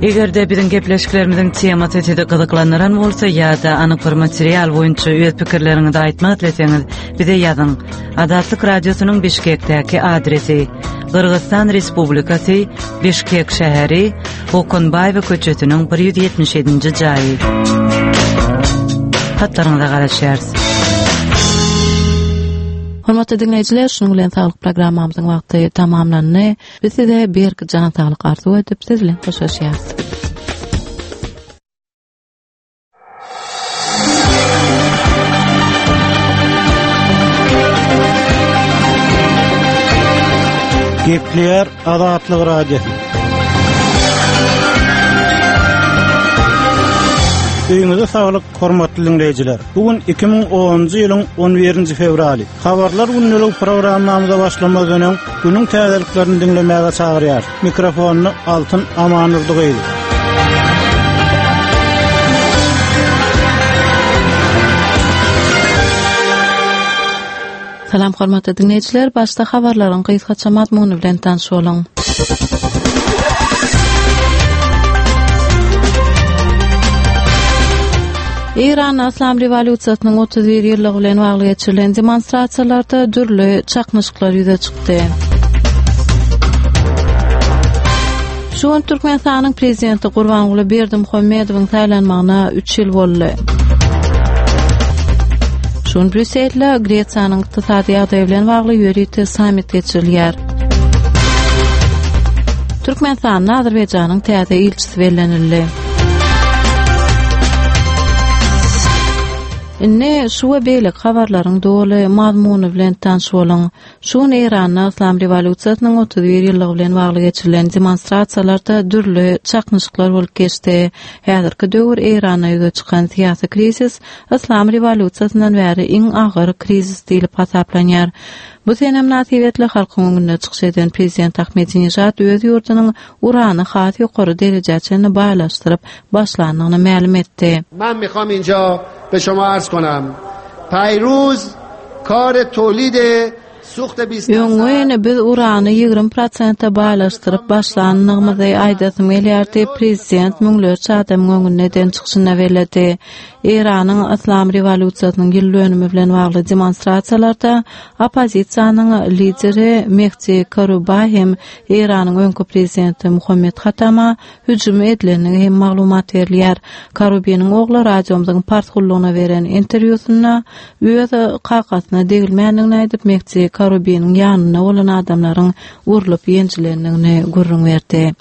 Eger-de biziň gepleşiklerimizin temasy sizi gyzyklandyran bolsa ýa-da anyk bir material boýunça öz pikirleriňizi aýtmak isleseňiz, bize ýazyň. Azatlyk Radiosynyň Bişkekdäki adresi: Gyrgyzystan Respublikasy, Bişkek şäheri, Okunbaýewa köçesiniň bir ýüz ýetmiş ýedinji jaýy. Hatlaryňyza garaşýarys. Hormatly dinleýjiler, şunuň bilen saglyk programmamyzyň wagty tamamlandy. Biz size berk jan saglyk arzuw edip, siz bilen hoşlaşýarys. Gepleýär Azatlyk Radiosy. Öýüňize saglyk, hormatly diňleýjiler. Bu gün iki müň onunjy ýylyň on birinji fewraly. Habarlar gündelik programmamyza başlamazdan öň günüň täzeliklerini diňlemäge çagyrýar. Mikrofonda Altyn Amanurdy gyzy. Salam hormatly dinleýjiler, başda habarlaryň gysgaça mazmuny bilen tanyş boluň. Eýran Yslam rewolýusiýasynyň otuz bir ýyllygy bilen bagly geçirilen demonstrasiýalarda dürli çaknyşyklar ýüze çykdy. Şu gün Türkmenistanyň Prezidenti Gurbanguly Berdimuhamedowyň saýlanmagyna üç ýyl boldy. Şu gün Brýusselde Gresiýanyň ykdysady ýagdaýy bilen bagly ýörite sammit geçirilýär. Türkmenistanda Azerbaýjanyň täze ilçisi bellenildi. Indi şu we beýleki habarlaryň doly mazmuny bilen tanyş boluň. Şu gün Eýranda Yslam rewolýusiýasynyň otuz bir ýyllygy bilen bagly geçirilen demonstrasiýalarda dürli çaknyşyklar bolup geçdi. Häzirki döwür Eýranda ýüze çykan syýasy krizis Yslam rewolýusiýasyndan bäri iň agyr krizis diýlip hasaplanýar. Bu sene mynasybetli halkyň öňünde çykyş eden prezident Ahmedinejad öz ýurdunyň urany has ýokary derejä çenli baýlaşdyryp başlandygyny mälim etdi. Men mikham inja be şoma arz konam. Paýruz kar tolid Öňňin biz urany ýigrimi prosente baýlaşdyryp başlandygymyzy aýdasym gelýär diýip, prezident müňlerçe adamyň öňünde eden çykyşynda belledi. Eýranyň Yslam rewolýusiýasynyň ýyl dönümi bilen bagly demonstrasiýalarda oppozisiýanyň lideri Mehdi Karuba hem Eýranyň öňki prezidenti Muhammed Hatama hüjüm edilendigi hem maglumat berilýär. Karubiniň ogly radiomyzyň pars gullugyna beren interwýusynda öz kakasyna degilmändigini aýdyp, Mehdi Karubiniň ýanynda bolan adamlaryň urlup ýenjilendigini gürrüň berdi.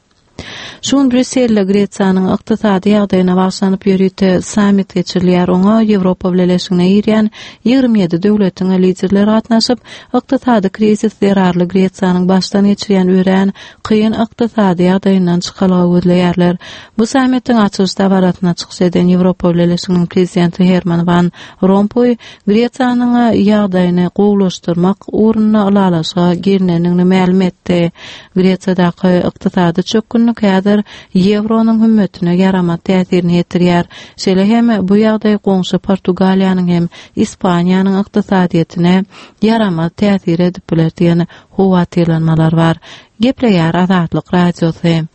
Şu gün Brýusselde Gresiýanyň ykdysady ýagdaýyna bagyşlanyp ýörite sammit geçirilýär. Oňa Ýewropa Bileleşigine girýän ýigrimi ýedi döwletiň liderleri gatnaşyp, ykdysady krizis zerarly Gresiýanyň başdan geçirýän örän kyn ykdysady ýagdaýyndan çykalga gözleýärler. Bu sammitiň açylyş dabarasyna çykyş eden Ýewropa Bileleşiginiň prezidenti Herman Van Rompuý Gresiýanyň ýagdaýyny gowulaşdyrmak ugrunda ylalaşyga gelinendigini mälim etdi. Gresiýadaky ykdysady çökgünlik häzir ýewronyň hümmetine ýaramaz täsirini ýetirýär. Şeýle hem bu ýagdaý goňşy Portugaliýanyň hem Ispaniýanyň ykdysadyýetine ýaramaz täsir edip biler diýen howatyrlanmalar bar. Gepleýär Azatlyk Radiosy.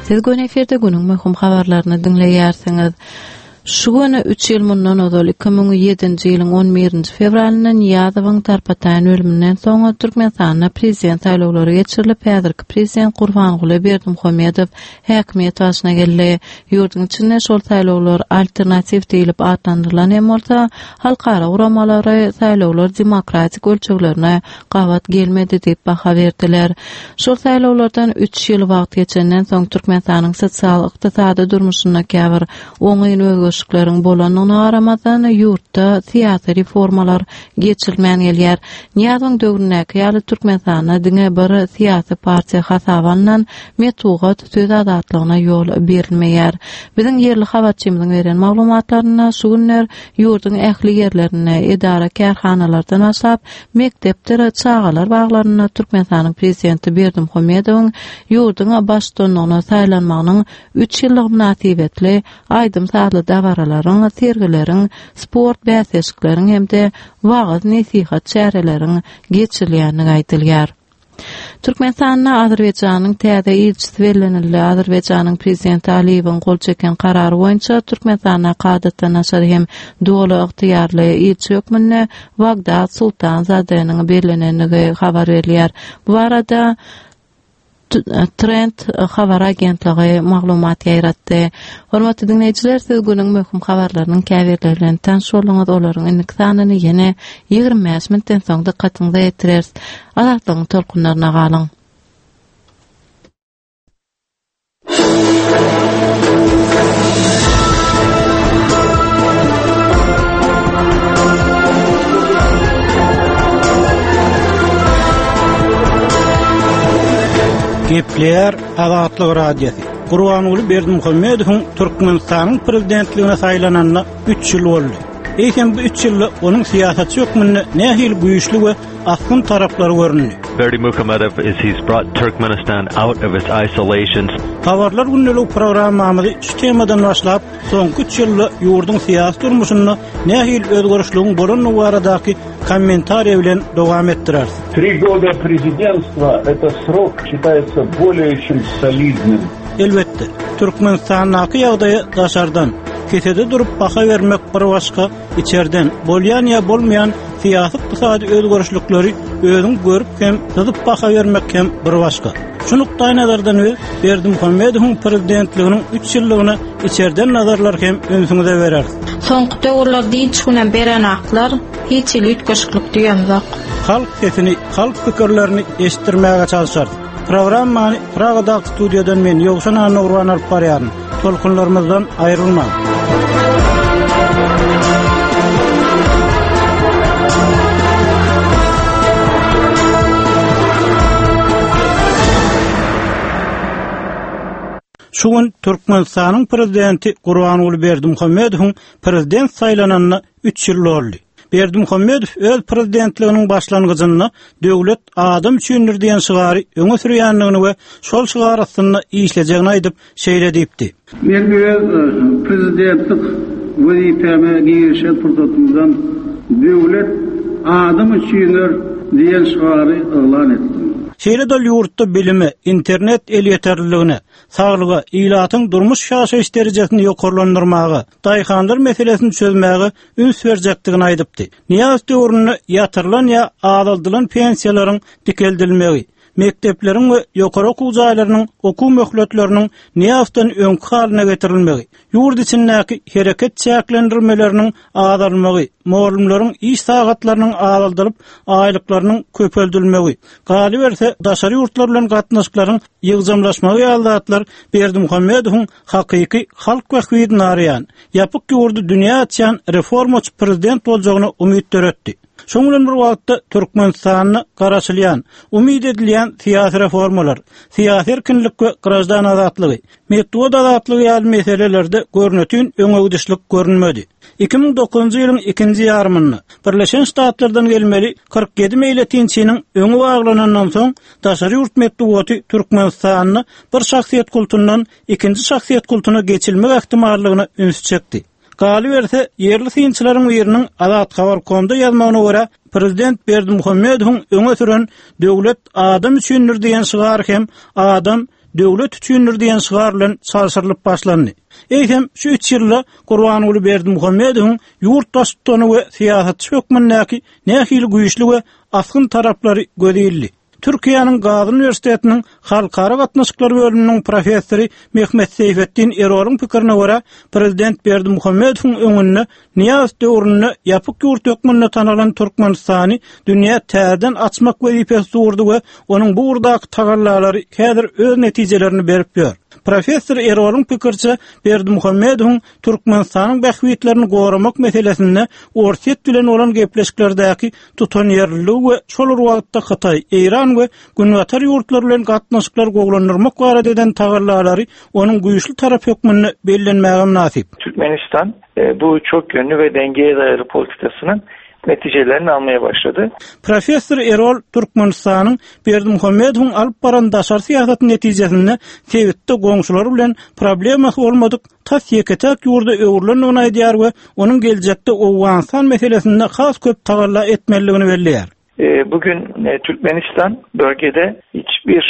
Siz gün efirde günüň möhüm habarlaryny diňleýärsiňiz. Şu gün üç ýyl mundan ozal iki müň ýedinji ýylyň on birinji fewralynda Nyýazowyň tarpataýyn ölüminden soň Türkmenistanda prezident saýlawlary geçirilip, häzirki prezident Gurbanguly Berdimuhamedow häkimiýet başyna geldi. Ýurduň içinde şol saýlawlar alternatiw diýlip atlandyrylan hem bolsa, halkara guramalary saýlawlar demokratik ölçeglerine gabat gelmedi diýip baha berdiler. Şol saýlawlardan üç ýyl wagt geçenden soň Türkmenistanyň sosial ykdysady durmuşynda käbir oňyn özgerişlikleriň bolandygyna garamazdan ýurtda syýasy reformalar geçirilmän gelýär. Nyýazowyň döwründäki ýaly Türkmenistanda diňe bir syýasy partiýa hasaba alnan metbugat söz azatlygyna ýol berilmeýär. Biziň ýerli habarçymyzyň beren maglumatlarynda şu günler ýurduň ähli ýerlerinde edara kärhanalardan başlap mekdepdir çagalar baglarynda Türkmenistanyň prezidenti Berdimuhamedowyň ýurduň baştutanlygyna saýlanmagynyň üç ýyllyk mynasybetli aýdym sazly dabaralaryň, sergileriň, sport bäsleşikleriň hem-de wagyz nesihat çäreleriň geçirilýändigi aýdylýar. Türkmenistanda Azerbaýjanyň täze ilçisi bellenildi. Azerbaýjanyň prezidenti Aliýewiň gol çeken karary boýunça Türkmenistanda kadatdan daşary hem doly ygtyýarly ilçi hökmünde Wagdat Sultanzadeniň bellenendigi habar berilýär. Bu barada Trend habar agentligi maglumat ýaýratdy. Hormatly dinleýjiler, siz günüň möhüm habarlarynyň käbirleri bilen tanyş bolduňyz. Olaryň indiki sanyny ýene ýigrimi bäş minutdan soň dykgatyňyza ýetireris. Azatlygyň tolkunlaryna galyň. Gepleýär Azatlyk Radiosy. Gurbanguly Berdimuhamedowyň Türkmenistanyň prezidentligine saýlananyna üç ýyl boldy. Eýsem bu üç ýylda onuň syýasatçy hökmünde nähili güýçli we asgyn taraplary göründi. Berdimuhamedow is he's brought Turkmenistan out of its isolation. Habarlar gündelik programmamyzy şu temadan başlap, soňky üç ýylda ýurduň syýasy durmuşynda nähili özgerişligiň bolandygy baradaky kommentariýa bilen dowam etdireris. Три года президентства это срок считается более чем солидным. Elbetde, Türkmenistandaky ýagdaýy daşardan, kesede durup baha bermek bir başga, içerden bolýan ýa bolmaýan syýasy ykdysady özgerişlikleri özüň görüp hem syzyp baha bermek hem bir başga. Şu nukdaý nazardan biz Berdimuhamedowyň prezidentliginiň üç ýyllygyna içerden nazarlar hem ünsüňize bereris. Soňky döwürlerde hiç günem berenaklar, hiç hili üýtgeşiklik diýemzok. Halk sesini, halk pikirlerini eşitdirmäge çalışarys. Programmany Pragadaky studiýadan men Ýowşan Annagurban alyp barýaryn. Tolkunlarymyzdan aýrylmaň. Şu gün Türkmenistanyň prezidenti Gurbanguly Berdimuhamedowyň prezident saýlananyna üç ýyl boldy. Berdimuhamedow öz prezidentliginiň başlangyjynda döwlet adam üçindir diýen şygary öňe sürýändigini we şol şygar astynda işlejegini aýdyp şeýle diýipdi. Men öz prezidentlik wezipäme girişen pursatymdan döwlet adam üçindir diýen şygary yglan etdim. Şeýle de ýurtda bilime, internet elýeterliligine, saglyga, ilatyň durmuş ýaşaýyş derejesini ýokarlandyrmaga, daýhanlar meselesini çözmäge üns berjekdigini aýdypdy. Niýaz döwründe ýatyrylan ýa azaldylan pensiýalaryň dikeldilmegi, mekdepleriň we ýokary okuw jaýlarynyň okuw möhletleriniň Niýazdan öňki halyna getirilmegi, ýurt içindäki hereket çäklendirmeleriniň azalmagy, mugallymlaryň iş sagatlarynyň azaldylyp, aýlyklarynyň köpeldilmegi, galyberse daşary ýurtlar bilen gatnaşyklaryň ýygjamlaşmagy ýaly zatlar Berdimuhamedowyň hakyky halk bähbidini araýan, ýapyk ýurdy dünýä açýan reformaçy prezident boljagyna umyt döretdi. Şoň bilen bir wagtda Türkmenistanda garaşylýan, umyt edilýän syýasy reformalar, syýasy erkinlik we grajdan azatlygy, metbugat azatlygy ýaly meselelerde görnütün öňegidişlik görünmedi. iki müň dokuzynjy ýylyň ikinji ýarymynda Birleşen Ştatlardan gelmeli kyrk ýedi meýletinçiniň öňi baglanandan soň daşary ýurt metbugaty Türkmenistanda bir şahsyýet kultundan ikinji şahsyýet kultuna geçilmek ähtimallygyna üns çekdi. Galyberse, ýerli synçylaryň biriniň Azat Habar.comda ýazmagyna görä, prezident Berdimuhamedowyň öňe süren döwlet adam üçindir diýen şygar hem adam döwlet üçindir diýen şygar bilen çalşyrylyp başlandy. Eýsem, şu üç ýylda Gurbanguly Berdimuhamedowyň ýurt baştutany we syýasatçy hökmündäki nähili güýçli we asgyn taraplary göz ildi. Türkiýäniň Gazi Üniwersitetiniň Halkara gatnaşyklar bölüminiň professory Mehmet Seyfettin Erolyň pikirine görä, prezident Berdimuhamedowyň öňünde Niýaz döwründe ýapyk ýurt hökmünde tanalan Türkmenistany dünýä täzeden açmak wezipesi durdy we onuň bu ugurdaky tagallalary häzir öz netijelerini berip ýör. Professor Erolyň pikirçe Berdimuhamedowyň Türkmenistanyň bähbitlerini goramak meselesinde Orsýet bilen bolan gepleşiklerdäki tutanýerliligi we şol bir wagtda Hytaý, Eýran we Günbatar ýurtlary bilen gatnaşyklar gowulandyrmak barada eden tagallalary onuň güýçli tarap hökmünde bellenmäge mynasyp. Türkmenistan bu çok yönlü ve dengeye dayalı politikasının neticelerini almaya başladı. Professor Erol Türkmenistanyň Berdimuhamedowyň alyp baran daşary syýasat netijesinde sebitde goňşulary bilen problemasy bolmadyk tas ýeke-täk ýurda öwrülendigini aýdýar we onuň geljekde Owganystan meselesinde has köp tagalla etmelidigini belleýär. Bugün Türkmenistan bölgede hiçbir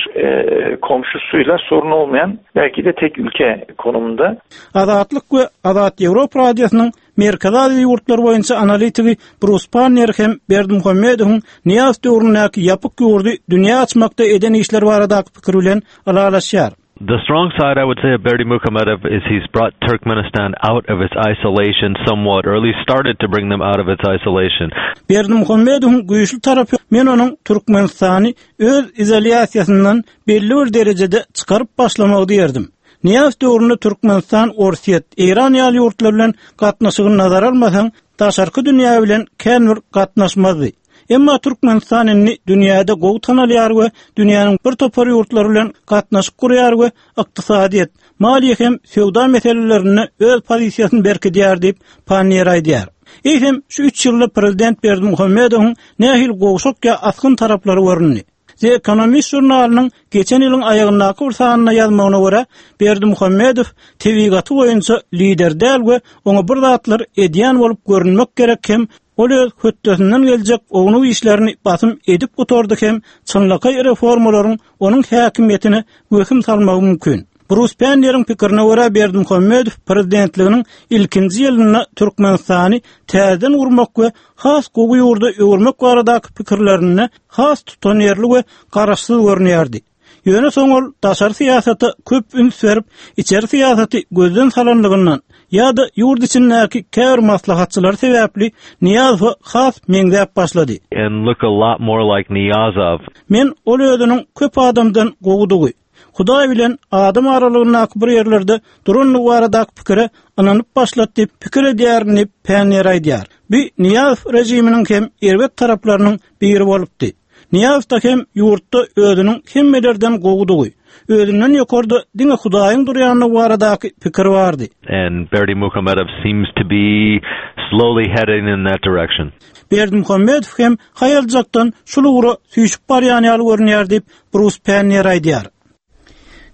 komşusuyla sorun olmayan belki de tek ülke konumunda. Azatlyk we Azat Ýewropa Radiosynyň Merkezi Aziýa ýurtlary boýunça analitigi Bruce Pannier hem Berdimuhamedowyň Niýaz döwründäki ýapyk ýurdy dünýä açmakda eden işler baradaky pikir bilen ylalaşýar. The strong side, I would say, of Berdimuhamedow is he's brought Turkmenistan out of its isolation somewhat, or at least started to bring them out of its isolation. Berdimuhamedowyň güýçli tarapy men onuň Türkmenistany öz izolýasiýasyndan belli bir derejede çykaryp başlamagy diýerdim. Niýaz döwründe Türkmenistan, Orsýet, Eýran ýaly ýurtlar bilen gatnaşygyny nazara almasaň, daşarky dünýä bilen kän bir gatnaşmazdy. Emma Türkmenistan indi dünýäde gowy tanalýar we dünýäniň bir topar ýurtlary bilen gatnaşyk gurýar we ykdysadyýet, maliýe hem söwda meselelerinde öz pozisiýasyny berkidýär diýip, Panniýer aýdýar. Eýsem, şu üç ýylda prezident Berdimuhamedowyň nähili gowşak ýa asgyn taraplary göründi? The Economist žurnalynyň geçen ýylyň aýagyndaky bir sanynda ýazmagyna görä, Berdimuhamedow tebigaty boýunça lider däl we oňa bir zatlar edýän bolup görünmek gerek hem ol öz hötdesinden geljek ownuk işlerini basym edip gutardy hem çynlakaý reformalaryň onuň häkimiýetine wehim salmagy mümkin. Brus Panniýeriň pikirine görä, Berdimuhamedow prezidentliginiň ilkinji ýylynda Türkmenistany täzeden gurmak we has gowy ýurda öwürmek baradaky pikirlerinde has tutanýerli we garaşsyz görünýärdi. Ýöne soň ol daşary syýasata köp üns berip, içeri syýasaty gözden salanlygyndan ýa-da ýurt içindäki käbir maslahatçylary sebäpli Nyýazowa has meňzäp başlady. And look a lot more like Niyazov. Men ol özüniň köp adamdan gowudygy, Hudaý bilen adam aralygyndaky bir ýerlerde durandygy baradaky pikire ynanyp başlady diýip pikir edýärin diýip Panniýer aýdýar. Bu Nyýazow režiminiň hem erbet taraplarynyň biri bolupdy. Nyýazow-da hem ýurtda özüniň hemmelerden gowudygy, özünden ýokarda diňe Hudaýyň durýandygy baradaky pikir bardy. And Berdimuhamedow seems to be slowly heading in that direction. Berdimuhamedow hem haýaljakdan şul ugra süýşüp barýan ýaly görünýär diýip Brus Panniýer aýdýar.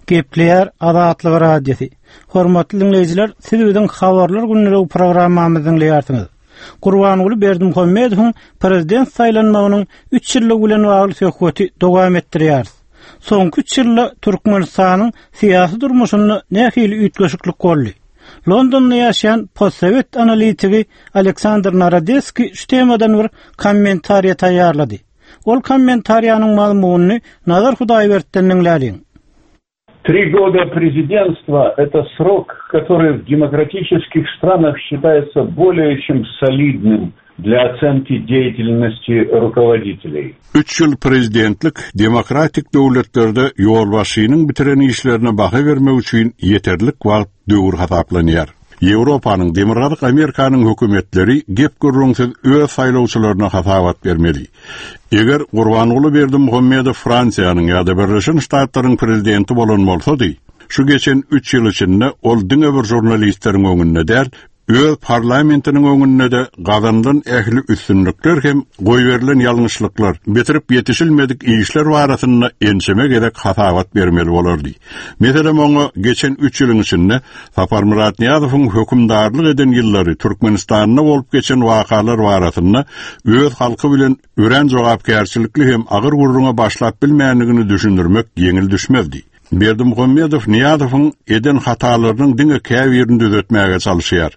Gepleýär Azatlyk Radiosy. Hormatly dinleýjiler, siz biziň habarlar günlügi programmamyzy diňleýärsiňiz. Gurbanguly Berdimuhamedowyň prezident saýlanmagynyň üç ýyllygy bilen bagly söhbeti dowam etdirýäris. Soňky üç ýylda Türkmenistanyň syýasy durmuşynda nähili üýtgeşiklik boldy? Londonda ýaşaýan postsowet analitigi Aleksandr Narodeskiý şu temadan bir kommentariýa taýýarlady. Ol kommentariýanyň mazmunyny Nazar Hudaýberdi'den diňläliň. Три года президентства – это срок, который в демократических странах считается более чем солидным для оценки деятельности руководителей. Üç ýyl prezidentlik demokratik döwletlerde ýolbaşçynyň bitiren işlerine baha bermek üçin ýeterlik wagt döwür hasaplanýar. Ýewropanyň, Demirgazyk Amerikanyň hökümetleri gep gürrüňsiz öz saýlawçylaryna hasabat bermeli. Eger Gurbanguly Berdimuhamedow Fransiýanyň ýa-da Birleşen Ştatlaryň prezidenti bolan bolsady, şu geçen üç ýyl içinde ol diňe bir žurnalistleriň öňünde däl, öz parlamentiniň öňünde de gazanylan ähli üstünlikler hem goýberilen ýalňyşlyklar, bitirip ýetişilmedik işler barasynda ençeme gezek hasabat bermeli bolardy. Meselem, oňa geçen üç ýylyň içinde Saparmyrat Nyýazowyň hökümdarlyk eden ýyllary Türkmenistanda bolup geçen wakalar barasynda öz halky bilen örän jogapkärçilikli hem agyr gürrüňe başlap bilmändigini düşündirmek ýeňil düşmezdi. Berdimuhamedow Nyýazowyň eden hatalarynyň diňe käbirini düzetmäge çalışýar.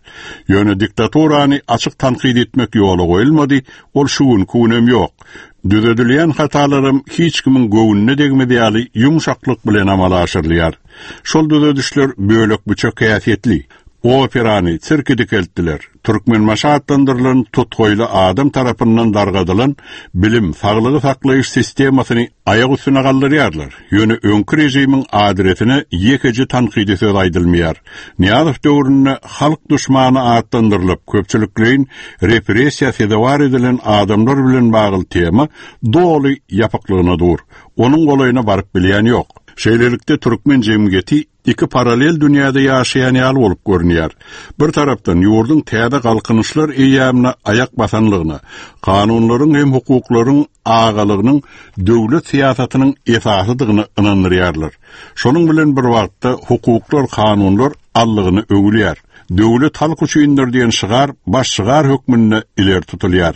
Ýöne diktaturany açyk tankyt etmek ýola goýulmady, ol şu günki günem ýok. Düzedilýän hatalaram hiç kimiň göwnüne degmez ýaly ýumşaklyk bilen amala aşyrylýar. Şol düzedişler bölek-büçek häsiýetli. Operany sirki dikeltdiler. Türkmenbaşy atlandyrylan tutgoýly adam tarapyndan dargadylan bilim, saglygy saklaýyş sistemasyny aýak üstüne galdyrýarlar. Ýöne öňki režimiň adresine ýekeje tankydy söz aýdylmaýar. Nyýazow döwründe halk duşmany atlandyrylyp, köpçülikleýin repressiýa sezewar edilen adamlar bilen bagly tema doly ýapyklygyna dur. Onuň golaýyna baryp bilýän ýok. Şeýlelikde türkmen jemgyýeti iki paralel dünýäde ýaşaýan ýaly bolup görünýär. Bir tarapdan ýurduň täze galkynyşlar eýýämine aýak basanlygyna, kanunlaryň hem hukuklaryň agalygynyň döwlet syýasatynyň esasydygyny ynandyrýarlar. Şonuň bilen bir wagtda hukuklar, kanunlar allygyny öwülýär. Döwlet halk üçindir diýen şygar baş şygar hökmünde ileri tutulýar.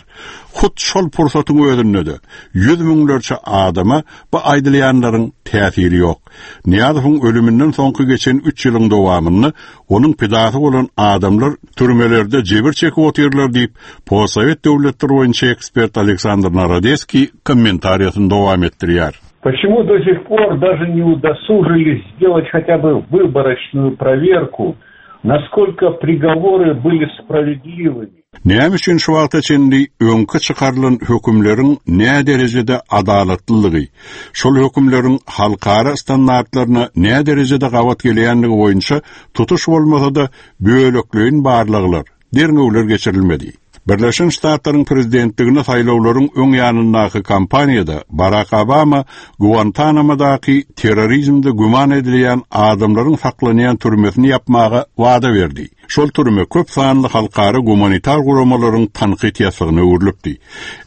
Hut şol pursatyň özünde de ýüz müňlerçe adama bu aýdylýanlaryň täsiri ýok. Nyýazowyň ölüminden soňky geçen üç ýylyň dowamynda onuň pidasy bolan adamlar türmelerde jebir çekip otyrlar diýip, postsowet döwletleri boýunça ekspert Aleksandr Narodeskiý kommentariýasyny dowam etdirýär. Почему до сих пор даже не удосужились сделать хотя бы выборочную проверку, насколько приговоры были справедливыми? Näme üçin şu wagta çenli öňki çykarylan hökümleriň nä derejede adalatlylygy, şol hökümleriň halkara standartlaryna nä derejede gabat gelýänligi boýunça tutuş bolmasa-da bölekleýin barlaglar, derňewler geçirilmedi. Birleşen Ştatlaryň prezidentligine saýlawlaryň öň ýanyndaky kampaniýada Barak Obama Guantanamadaky terrorizmde güman edilýän adamlaryň saklanýan türmesini ýapmaga wada berdi. Şol türme köp sanly halkara gumanitar guramalaryň tankyt ýasygyna öwrülipdi.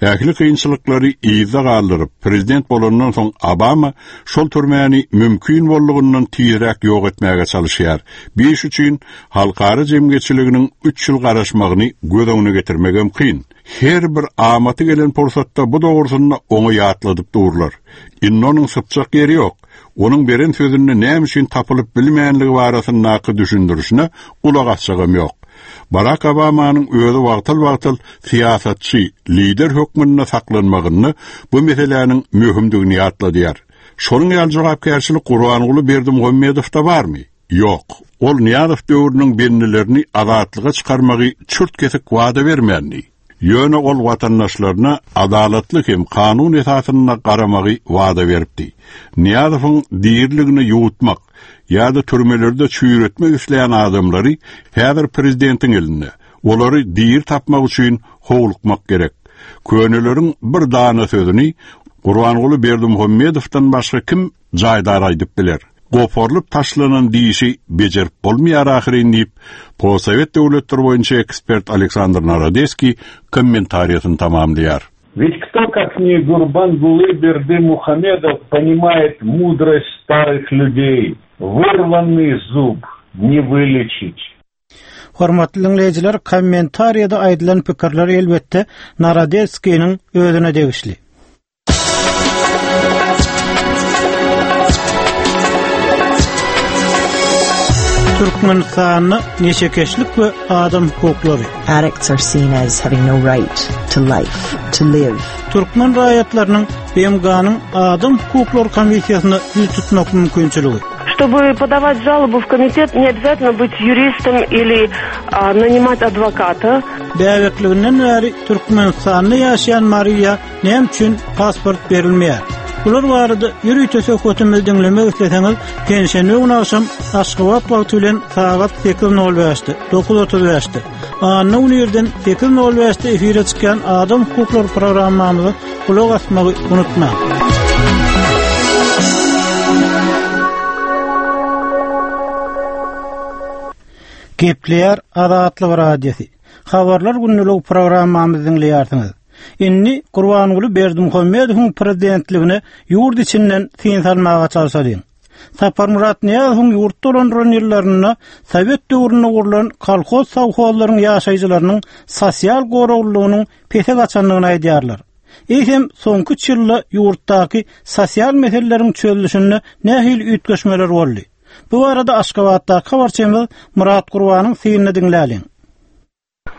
Ähli kynçylyklary yzda galdyryp, prezident bolandan soň Obama şol türmäni mümkin boldugyndan tizräk ýok etmäge çalyşýar. Bir iş üçin halkara jemgyýetçiliginiň üç ýyl garaşmagyny göz öňüne getirmegem kyn. Her bir amaty gelen pursatda bu dogrusynda oňa ýatladyp durlar. Indi onuň sypjak ýeri ýok. Onuň beren sözünde näme üçin tapylyp bilmeýänligi barasyndaky düşündirişine gulak asjagam ýok. Barak Obamanyň özi wagtal-wagtal syýasatçy, lider hökmünde saklanmagyny bu meseläniň möhümdigini ýatladýar. Şonuň ýaly jogapkärçilik Gurbanguly Berdimuhamedowda barmy? Ýok. Ol Nyýazow döwrüniň bendilerini azatlyga çykarmagy çürt kesik wada bermändi. Ýöne ol watandaşlaryna adalatly hem kanun esasynda garamagy wada beripdi. Nyýazowyň diriligini ýuwutmak ýa-da türmelerde çüýretmek isleýän adamlary häzir prezidentiň elinde. Olary diri tapmak üçin howlukmak gerek. Köneleriň bir dana sözüni Gurbanguly Berdimuhamedowdan başga kim jaýdar aýdyp biler? Goparlyp taşlanan dişi bejerip bolmaýar ahyryn diýip, Postsowet döwletleri boýunça ekspert Aleksandr Narodeskiý kommentariýasyny tamamlaýar. Ведь кто, как не Гурбангулы Бердымухамедов, понимает мудрость старых людей? Вырванный зуб не вылечить. Hormatly diňleýjiler, kommentariýada aýdylan pikirler elbetde Narodeskiniň özüne degişli. Türkmenistanda neşekeşlik we adam hukuklary. Addicts are seen as having no right to life, to live. Türkmen raýatlarynyň B M G-nyň Adam hukuklary komissiýasyna ýüz tutmak mümkinçiligi. Чтобы подавать жалобу в комитет, не обязательно быть юристом или а, нанимать адвоката. Bäbekliginden bäri Türkmenistanda ýaşaýan Mariýa näme üçin pasport berilmeýär? Bular barada ýörite söhbetimizi diňlemek isleseňiz, penşenbe güni agşam Aşgabat wagty bilen sagat sekiz nol bäşde, dokuz otuz bäşde, anna güni irden sekiz nol bäşde efire çykýan Adam hukuklary programmamyza gulak asmagy unutmaň. Gepleýär Azatlyk Radiosy. Habarlar günlük programmamyzy diňleýärsiňiz. Indi Gurbanguly Berdimuhamedowyň prezidentligine ýurt içinden syn salmaga çalşalyň. Saparmyrat Nyýazowyň ýurt dolandyran ýyllarynda Sowet döwründe gurlan kolhoz sowhozlaryň ýaşaýjylarynyň sosial goraglylygynyň pese gaçandygyny aýdýarlar. Eýsem soňky üç ýylda ýurtdaky sosial meseleleriň çözülişinde nähili üýtgeşmeler boldy? Bu arada Aşgabatdaky habarçymyz Murat Gurbanyň synyny diňläliň.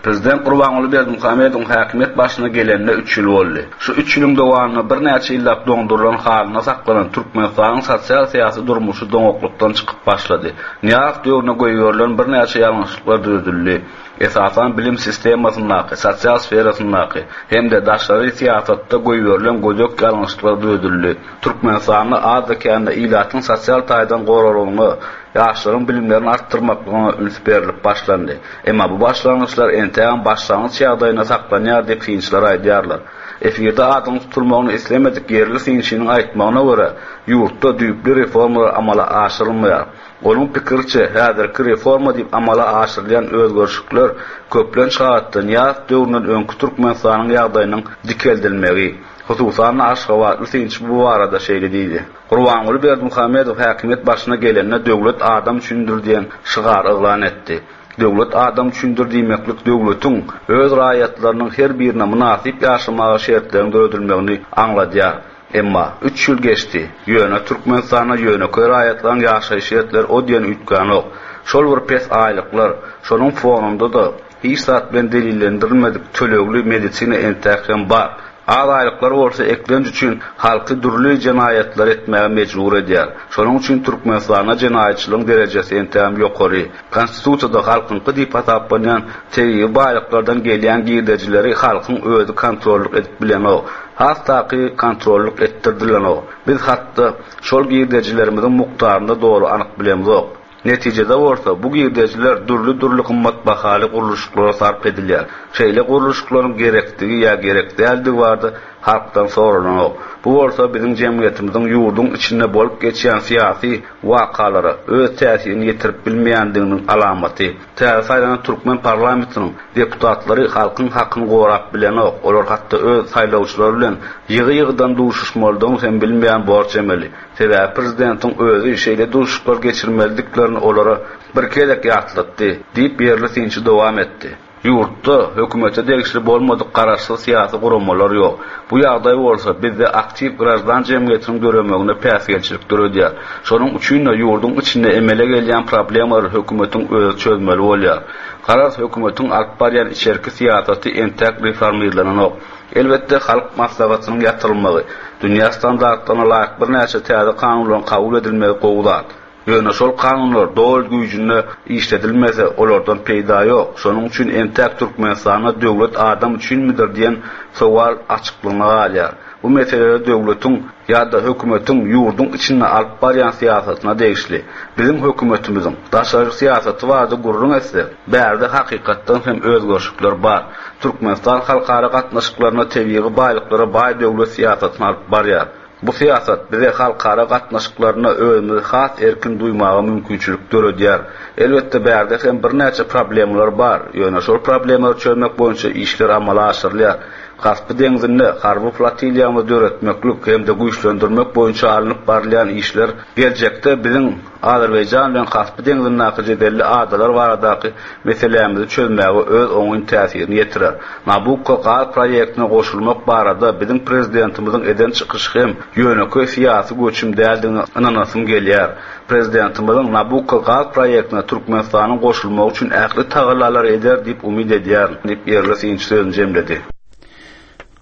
Prezident Gurbanguly Berdimuhamedowyň häkimiýet başyna gelenine üç ýyl boldy. Şu üç ýylyň dowamynda birnäçe ýyllap doňdurylan halyna saklanan Türkmenistanyň sosial syýasy durmuşy doňaklykdan çykyp başlady. Nyýazow döwrüne goýberilen birnäçe ýalňyşlyklar düzedildi. Esasan bilim sistemasyndaky, sosial sferasyndaky hem-de daşary syýasatda goýberilen gödek ýalňyşlyklar düzedildi. Türkmenistanda azda-kände ilatyň sosial taýdan goraglygyna, ýaşlaryň bilimlerini artdyrmaklygyna üns berlip başlandy. Emma bu başlangyçlar entägem başlangyç ýagdaýynda saklanýar diýip synçylar aýdýarlar. Efirde adyň tutulmagyny islemedik ýerli synçynyň aýtmagyna görä, ýurtda düýpli reformalar amala aşyrylmaýar. Onuň pikiriçe, häzirki reforma diýip amala aşyrylýan özgerişlikler köplenç halatda Nyýazow döwründen öňki Türkmenistanyň ýagdaýynyň dikeldilmegi. Hususan Aşgabatly synçy bu barada şeýle diýdi. Gurbanguly Berdimuhamedow häkimiýet başyna gelende döwlet adam üçindir diýen şygar yglan etdi. Döwlet adam üçindir diýmeklik döwletiň öz raýatlarynyň her birine mynasyp ýaşamaga şertlerini döredilmegini aňladýar. Emma üç ýyl geçdi. Ýöne Türkmenistanda ýönekeý raýatlaryň ýaşaýyş şertleri o diýen üýtgänok. Şol bir pes aýlyklar, şonuň fonunda da hiç zat bilen delillendirilmedik tölegli medisina entäk hem bar. Az aýlyklar bolsa eklenç üçin halky dürli jenaýatlar etmäge mejbur edýär. Şonuň üçin Türkmenistanda jenaýatçylygyň derejesi entägem ýokary. Konstitusiýada halkyňky diýip hasaplanýan tebigy baýlyklardan gelýän girdejileri halkyň özi kontrollyk edip bilenok. Has taky kontrollyk etdirdilenok. Biz hatda şol girdejilerimiziň mukdaryny doly anyk bilemzok. Netijede bolsa bu girdejiler dürli-dürli gymmatbahaly gurluşyklara sarp edilýär. Şeýle gurluşyklaryň gerekdigi ýa gerek däldigi barada halkdan soralanok. Bu bolsa biziň jemgyýetimiziň ýurduň içinde bolup geçýän syýasy wakalara öz täsirini ýetirip bilmeýändiginiň alamaty. Täze saýlanan türkmen parlamentiniň deputatlary halkyň hakyny gorap bilenok. Olar hatda öz saýlawçylary bilen ýygy-ýygydan duşuşmalydygyny hem bilmeýän borç emeli. Sebäbi prezidentiň özi şeýle duşuşyklar geçirmelidiklerini olara bir gezek ýatlatdy, diýip ýerli synçy dowam etdi. Ýurtda hökümete degişli bolmadyk garaşsyz syýasy guramalar ýok. Bu ýagdaý bolsa bizde aktiw graždan jemgyýetiniň döremegine päsgelçilik döredýär. Şonuň üçin-de ýurduň içinde emele gelýän problemalary hökümetiň özi çözmeli bolýar. Garaz, hökümetiň alyp barýan içerki syýasaty entäk reformirlenenok. Elbetde, Halk Maslahatynyň ýatyrylmagy, dünýä standartlaryna laýyk birnäçe täze kanunlaryň kabul edilmegi gowy zat. Ýöne şol kanunlar doly güýjünde işledilmese, olardan peýda ýok. Şonuň üçin entäk Türkmenistanda döwlet adam üçinmidir diýen sowal açyklygyna galýar. Bu mesele döwletiň ýa-da hökümetiň ýurduň içinde alyp barýan syýasatyna degişli. Biziň hökümetimiziň daşary syýasaty barada gürrüň etsek, bärde hakykatdan hem özgerişlikler bar. Türkmenistan halkara gatnaşyklarynda tebigy baýlyklara baý döwlet syýasatyny alyp barýar. Bu syýasat bize halkara gatnaşyklarynda özümizi has erkin duýmaga mümkinçilik döredýär. Elbetde, bärde hem birnäçe problemler bar. Ýöne şol problemleri çözmek boýunça işler amala aşyrylýar. Kaspi deňzinde harby flotiliýamyzy döretmeklik hem-de güýçlendirmek boýunça alnyp barylýan işler geljekde biziň Azerbaýjan bilen Kaspi deňzindäki jedelli adalar baradaky meselämizi çözmäge öz oňyn täsirini ýetirer. Nabukko gaz proýektine goşulmak barada biziň prezidentimiziň eden çykyşy hem ýönekeý syýasy göçüm däldigine ynanasym gelýär. Prezidentimiziň Nabukko gaz proýektine Türkmenistanyň goşulmagy üçin ähli tagallalary eder diýip umyt edýärin, diýip ýerli synçy sözüni jemledi.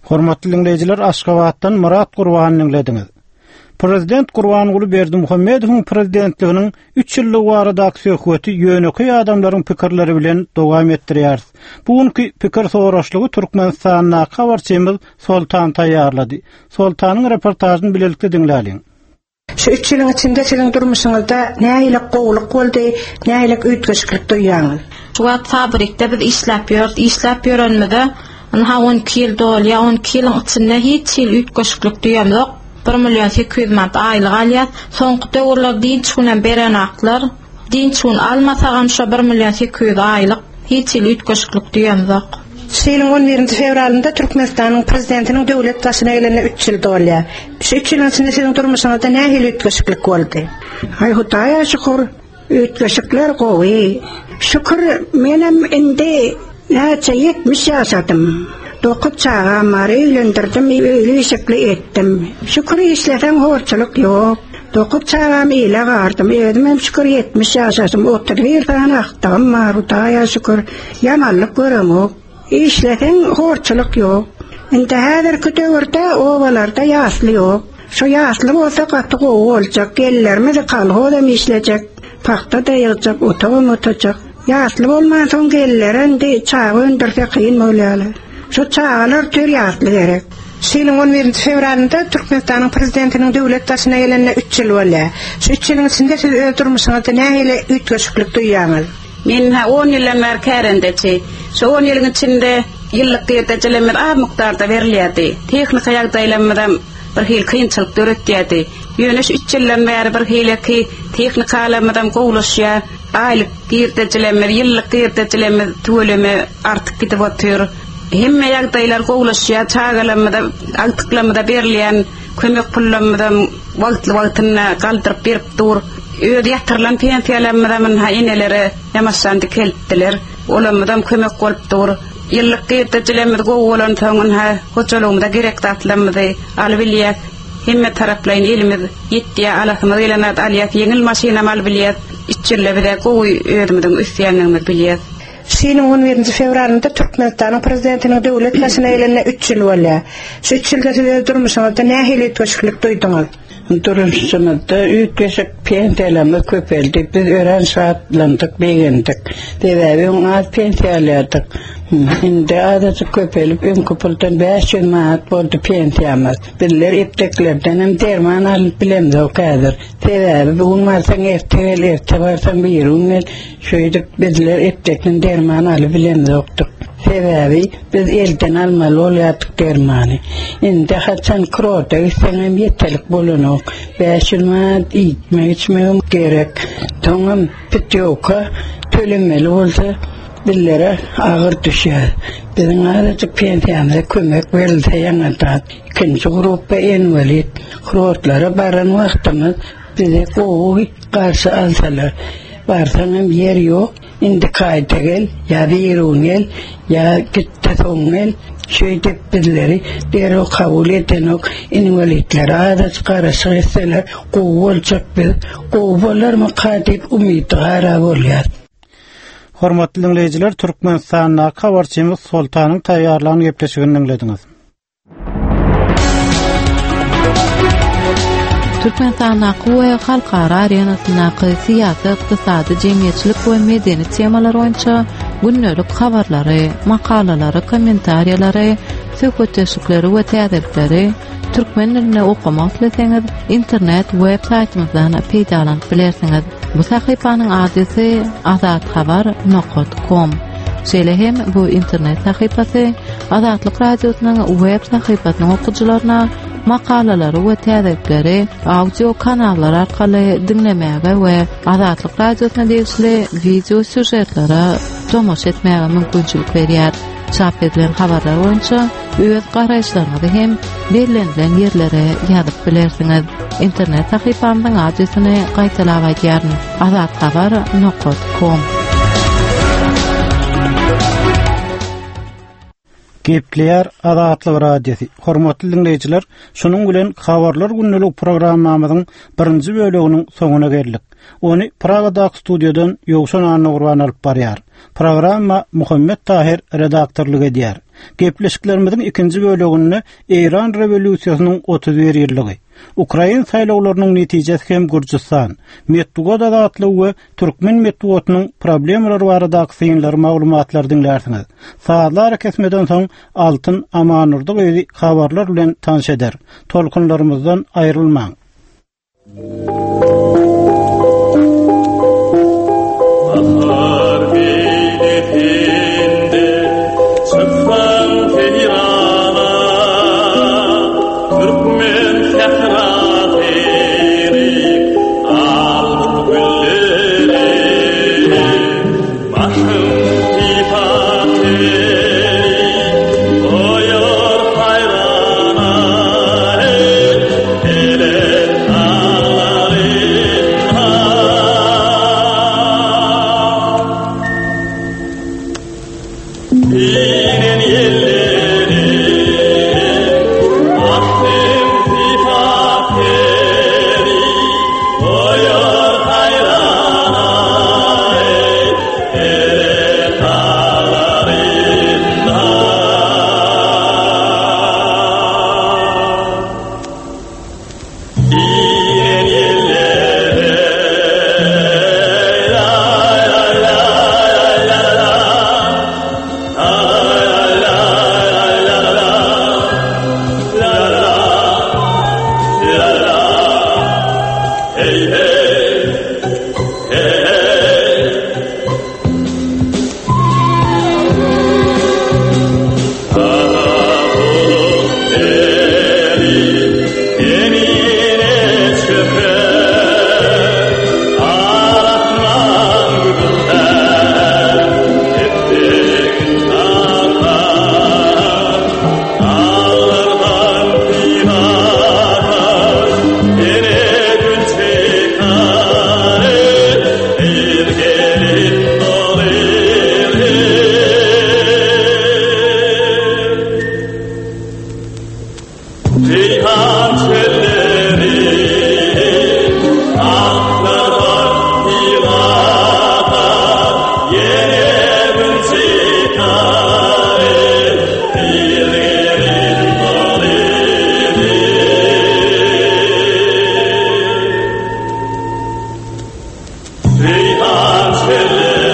Hormatly dinleýjiler, Aşgabatdan Murat Gurbany diňlediňiz. Prezident Gurbanguly Berdimuhamedowyň prezidentliginiň üç ýyllygy baradaky söhbeti ýönekeý adamlaryň pikirleri bilen dowam etdirýäris. Bu günki pikir soraşlygy Türkmenistandaky habarçymyz Soltan taýýarlady. Soltanyň reportažyny bilelikde diňläliň. Şu üç ýylyň içinde siziň durmuşyňyzda nähili gowulyk boldy, nähili üýtgeşiklik duýýaňyz? Şu wagt fabrikde biz işläp ýörüs, işläp ýörenimize ynha on iki ýyl dolýar, on iki ýylyň içinde hiç hili üýtgeşiklik duýamzok. bir million sekiz ýüz manat aýlyk alýar. Soňky döwürler dynç günem berenaklar. Dynç gün almasagam şo bir million sekiz ýüz aýlyk, hiç hili üýtgeşiklik duýamzok. Şu ýylyň on birinji fewralynda Türkmenistanyň Prezidentiniň döwlet başyna gelenine üç ýyl dolýar. Şu üç ýylyň içinde siziň durmuşyňyzda nähili üýtgeşiklik boldy? Aý, Hudaýa şükür, üýtgeşikler gowy. Şükür, menem indi näçe ýetmiş ýaşadym. Dokuz çagam bar, öýlendirdim, öýli-işikli etdim. Şükür, işleseň horçulyk ýok. Dokuz çagam ile gardym, özümem şükür ýetmiş ýaşadym, otuz bir sany agtygym bar, Hudaýa şükür, ýamanlyk göremok. Işleseň horçulyk ýok. Indi häzirki döwürde obalarda ýasly ýok. Şu ýasly bolsa gaty gowy boljak, gelinlerimiz kolhozam işlejek, pagta-da ýygjak, otagam otajak. Ýasly bolmansoň gelinlere indi çaga öndürse kyn bolýarlar. Şu çagalar tür ýasly gerek. Şu ýylyň on birinji fewralynda Türkmenistanyň Prezidentiniň döwlet başyna gelenine üç ýyl bolýar. Şu üç ýylyň içinde siz öz durmuşyňyzda nähili üýtgeşiklik duýýaňyz? Men ha on ýyldan bäri kärendeçi. Şu on ýylyň içinde ýyllyk girdejilerimiz az mukdarda berilýärdi. Tehnika ýagdaýlarymyzam bir hili kynçylyk döretýärdi. Ýöne şu üç ýyldan bäri bir hileki tehnikalarymyzam gowulaşýar. Aýlyk girdejilerimiz, ýyllyk girdejilerimiz tüweleme artyp gidip otyr. Hemme ýagdaýlar gowulaşýar. Çagalarymyza, agtyklarymyza berilýän kömek pullarymyzam wagtly-wagtynda galdyryp berip dur. Öz ýatyrylan pensiýalarymyzam ynha enelere ýamaşan dikeltdiler. Olarymyzam kömek bolup dur. Ýyllyk girdejilerimiz gowy bolansoň ynha hojalygymyza gerek zatlarymyzy alyp bilýäs. Hemme taraplaýyn elimiz ýetýär, alasymyz gelen zat alýas, ýeňil maşynam alyp bilýäs. Üç ýylda bize gowy özümiziň ösýändigimizi bilýäs. Şu ýylyň on birinji fewralynda Türkmenistanyň Prezidentiniň döwlet başyna gelenine üç ýyl bolýar. Şu üç ýylda siz öz durmuşyňyzda nähili üýtgeşiklik duýduňyz? Durmuşymyzda üýtgeşik pensiýalarymyz köpeldi. Biz örän şatlandyk, begendik. Sebäbi öň az pensiýa alýardyk. Indi azajyk köpelip, öňki puldan bäş ýüz manat boldy pensiýamyz. Bizler epteklerden hem derman alyp bilemzok häzir. Sebäbi bu gün barsaň erte gel, erte barsaň birigün gel. Şeýdip bizler eptekden derman alyp bilemzokdyk. Sebäbi biz elden almaly bolýardyk dermany. Indi haçan kurorta gitseňem ýeterlik bolanok. Bäş ýüz manat iýmek-içmegem gerek. Soňam putýowka tölemeli bolsa bizlere agyr düşýär. Biziň azajyk pensiýamyza kömek berilse ýaňadan. Ikinji gruppa inwalid. Kurortlara baran wagtymyz bizi gowy garşy alsalar. Barsaňam ýer ýok. Indiki aýda gel, ýa birigün gel, ýa git-de soň gel. Şeýdip bizleri derrew kabul edenok. Inwalidlere azajyk garaşyk etseler gowy boljak biz. Gowy bolarmyka diýip umydygara bolýas. Hormatly diňleýjiler, Türkmenistandaky habarçymyz Soltanyň taýýarlan gepleşigini diňlediňiz. Türkmenistandaky we halkara arenasyndaky syýasy, ykdysady, jemgyýetçilik we medeni temalar boýunça gündelik habarlary, makalalary, kommentariýalary, söhbetdeşlikleri we täzelikleri türkmen dilinde okamak isleseňiz, internet web saýtymyzdan peýdalanyp bilersiňiz. Bu sahypanyň adresi azathabar nokat kom. Şeýle hem bu internet sahypasy Azatlyk Radiosynyň web sahypasynyň okyjylaryna makalalary we täzelikleri audio kanallar arkaly diňlemäge we Azatlyk Radiosyna degişli wideo sýužetlere tomaşa etmäge mümkinçilik berýär. Çap edilen habarlar boýunça öz garaýyşlaryňyzy hem bellenilen ýerlere ýazyp bilersiňiz. Internet sahypamyzyň adresini gaýtalap aýdýaryn: azathabar nokat kom. Gepleýär Azatlyk Radiosy. Hormatly diňleýjiler, şunuň bilen Habarlar gündelik programmamyzyň birinji böleginiň soňuna geldik. Ony Pragadaky studiýadan Ýowşan Annagurban alyp barýar. Programma Muhammet Tahir redaktorlyk edýär. Gepleşiklerimiziň ikinji böleginde Eýran rewolýusiýasynyň otuz bir ýyllygy, Ukrain saýlawlarynyň netijesi hem Gürjüstan, metbugat azatlygy we türkmen metbugatynyň problemalary baradaky synlary maglumatlary diňlärsiňiz. Sazlar kesmeden soň Altyn Amanurdy gyzy habarlar bilen tanyş eder. Tolkunlarymyzdan aýrylmaň. Bahar beýlesinde çyksaň seýrana, Türkmen sährasy al gülleri, Başym sypap goýar haýrana, Belent daglary Çele